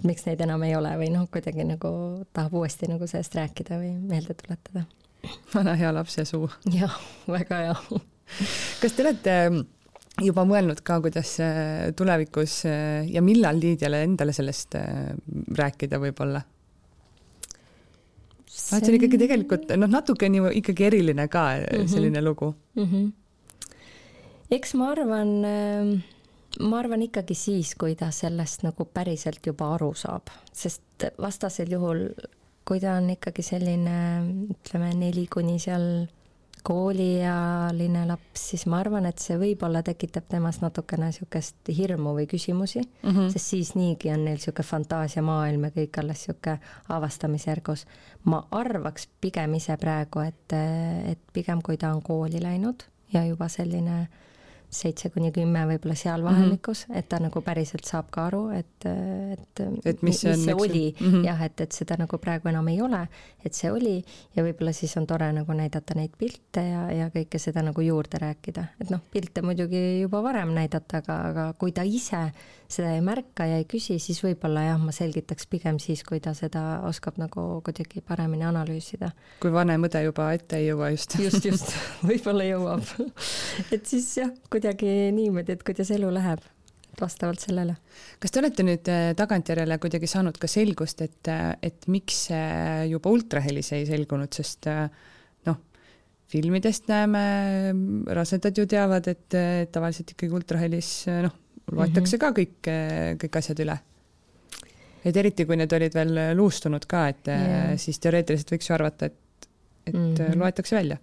miks neid enam ei ole või noh, kuidagi nagu tahab uuesti nagu sellest rääkida või meelde tuletada. Vana hea lapse suu. Jah, väga hea. Kas te olete juba mõelnud ka, kuidas tulevikus ja millal Liidiale endale sellest rääkida võib-olla? See on ikkagi tegelikult natuke nii ikkagi eriline ka selline lugu. Eks ma arvan ikkagi siis, kui ta sellest nagu päriselt juba aru saab, sest vastasel juhul, kui ta on ikkagi selline, ütleme 4 kuni seal kooliealine laps, siis ma arvan, et see võib-olla tekitab temas natukene niisugust hirmu või küsimusi, sest siis niigi on neil niisugune fantaasiamaailm ja kõik alles niisugune avastamisjärgus. Ma arvaks pigem ise praegu, et pigem kui ta on kooli läinud ja juba selline 7-10 võib-olla seal vahemikus, et ta nagu päriselt saab ka aru, et mis see oli. Jah, et seda nagu praegu enam ei ole, et see oli ja võib-olla siis on tore nagu näidata neid pilte ja kõike seda nagu juurde rääkida. Et noh, pilte muidugi juba varem näidata, aga kui ta ise seda ei märka ja ei küsi, siis võib-olla jah, ma selgitaks pigem siis, kui ta seda oskab nagu kuidagi paremini analüüsida. Kui vanem õde juba ette ei jõua just. Just, võib-olla jõuab. Et siis jah, kuidagi niimoodi, et kuidas elu läheb vastavalt sellele. Kas te olete nüüd tagantjärele kuidagi saanud ka selgust, et miks see juba ultrahelis ei selgunud, sest noh, filmidest näeme, rasedad ju teavad, et tavaliselt ikkagi ultrahelis loetakse ka kõik asjad üle. Et eriti, kui need olid veel luustunud ka, et siis teoreetiliselt võiks ju arvata, et loetakse välja.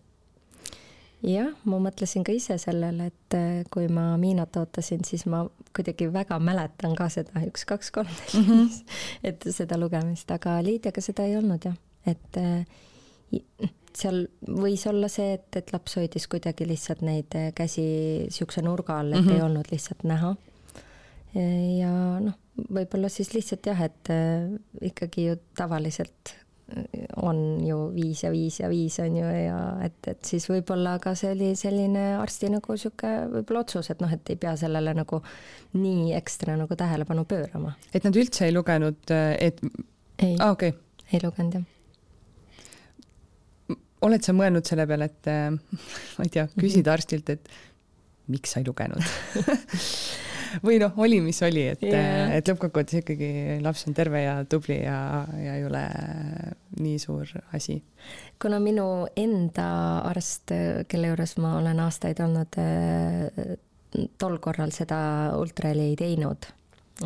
Jah, ma mõtlesin ka ise sellele, et kui ma Miinat ootasin, siis ma kuidagi väga mäletan ka seda 1, 2, 3, 4, et seda lugemist, aga Liidiaga seda ei olnud jah. Et seal võis olla see, et laps hoidis kuidagi lihtsalt neid käsi siukse nurga all, et ei olnud lihtsalt näha. Ja noh, võib-olla siis lihtsalt jah, et ikkagi ju tavaliselt on ju 5 ja 5 ja 5 on ju ja et siis võib-olla ka see oli selline arsti nagu siuke võib-olla otsus, et noh, et ei pea sellele nagu nii ekstra nagu tähelepanu pöörama. Et nad üldse ei lugenud, et... Ei, okay. Ei lugenud jah. Oled sa mõelnud selle peale, et ma ei tea, küsida arstilt, et miks sa ei lugenud? Või noh, oli mis oli, et lõppkokkuvõttes ikkagi laps on terve ja tubli ja ei ole nii suur asi. Kuna minu enda arst, kelle juures ma olen aastaid olnud, tol korral seda ultraheli ei teinud,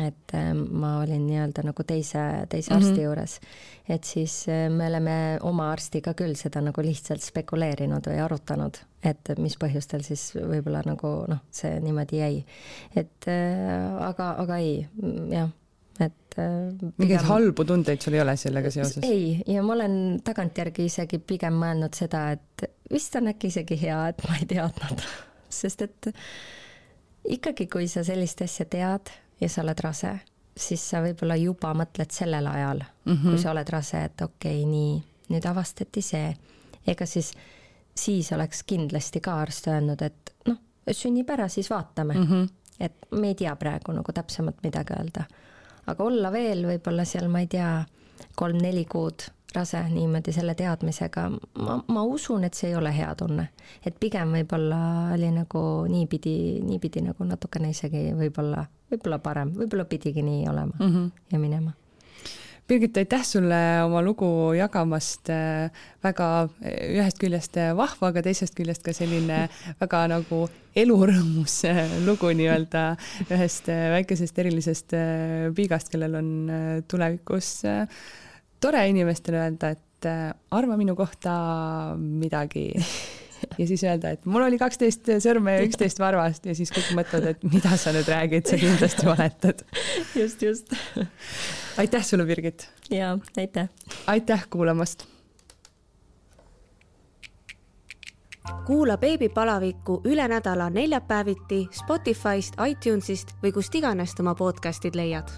et ma olin nii-öelda nagu teise arsti juures, et siis me oleme oma arstiga küll seda nagu lihtsalt spekuleerinud või arutanud, et mis põhjustel siis võib-olla nagu noh, see niimoodi jäi. Et aga ei, jah, et mingeid halbu tundeid sul ei ole sellega seoses? Ei, ja ma olen tagantjärgi isegi pigem mõelnud seda, et vist on äkki isegi hea, et ma ei teadnud, sest et ikkagi kui sa sellist asja tead ja sa oled rase, siis sa võib-olla juba mõtled sellel ajal, kui sa oled rase, et okei, nii, nüüd avastati see. Ega siis oleks kindlasti ka arst öelnud, et noh, sünnib ära, siis vaatame. Et me ei tea praegu nagu täpsemalt midagi öelda. Aga olla veel võib-olla seal, ma ei tea, 3-4 kuud rase niimoodi selle teadmisega, ma usun, et see ei ole hea tunne. Et pigem võib-olla oli nagu niipidi nagu natukene isegi võib-olla parem, võib-olla pidigi nii olema ja minema. Birgit, aitäh sulle oma lugu jagamast, väga ühest küljest vahva, aga teisest küljest ka selline väga nagu elurõõmus lugu nii-öelda ühest väikesest erilisest piigast, kellel on tulevikus tore inimestele öelda, et arva minu kohta midagi. ja siis öelda, et mul oli 12 sõrme ja 11 varvast ja siis kõik mõtlevad, et mida sa nüüd räägid, sa kindlasti valetad. Just. Aitäh sulle, Birgit! Jaa, aitäh! Aitäh kuulamast! Kuula Beebipalaviku üle nädala neljapäeviti Spotify'st, iTunes'ist või kust iganes oma podcastid leiad.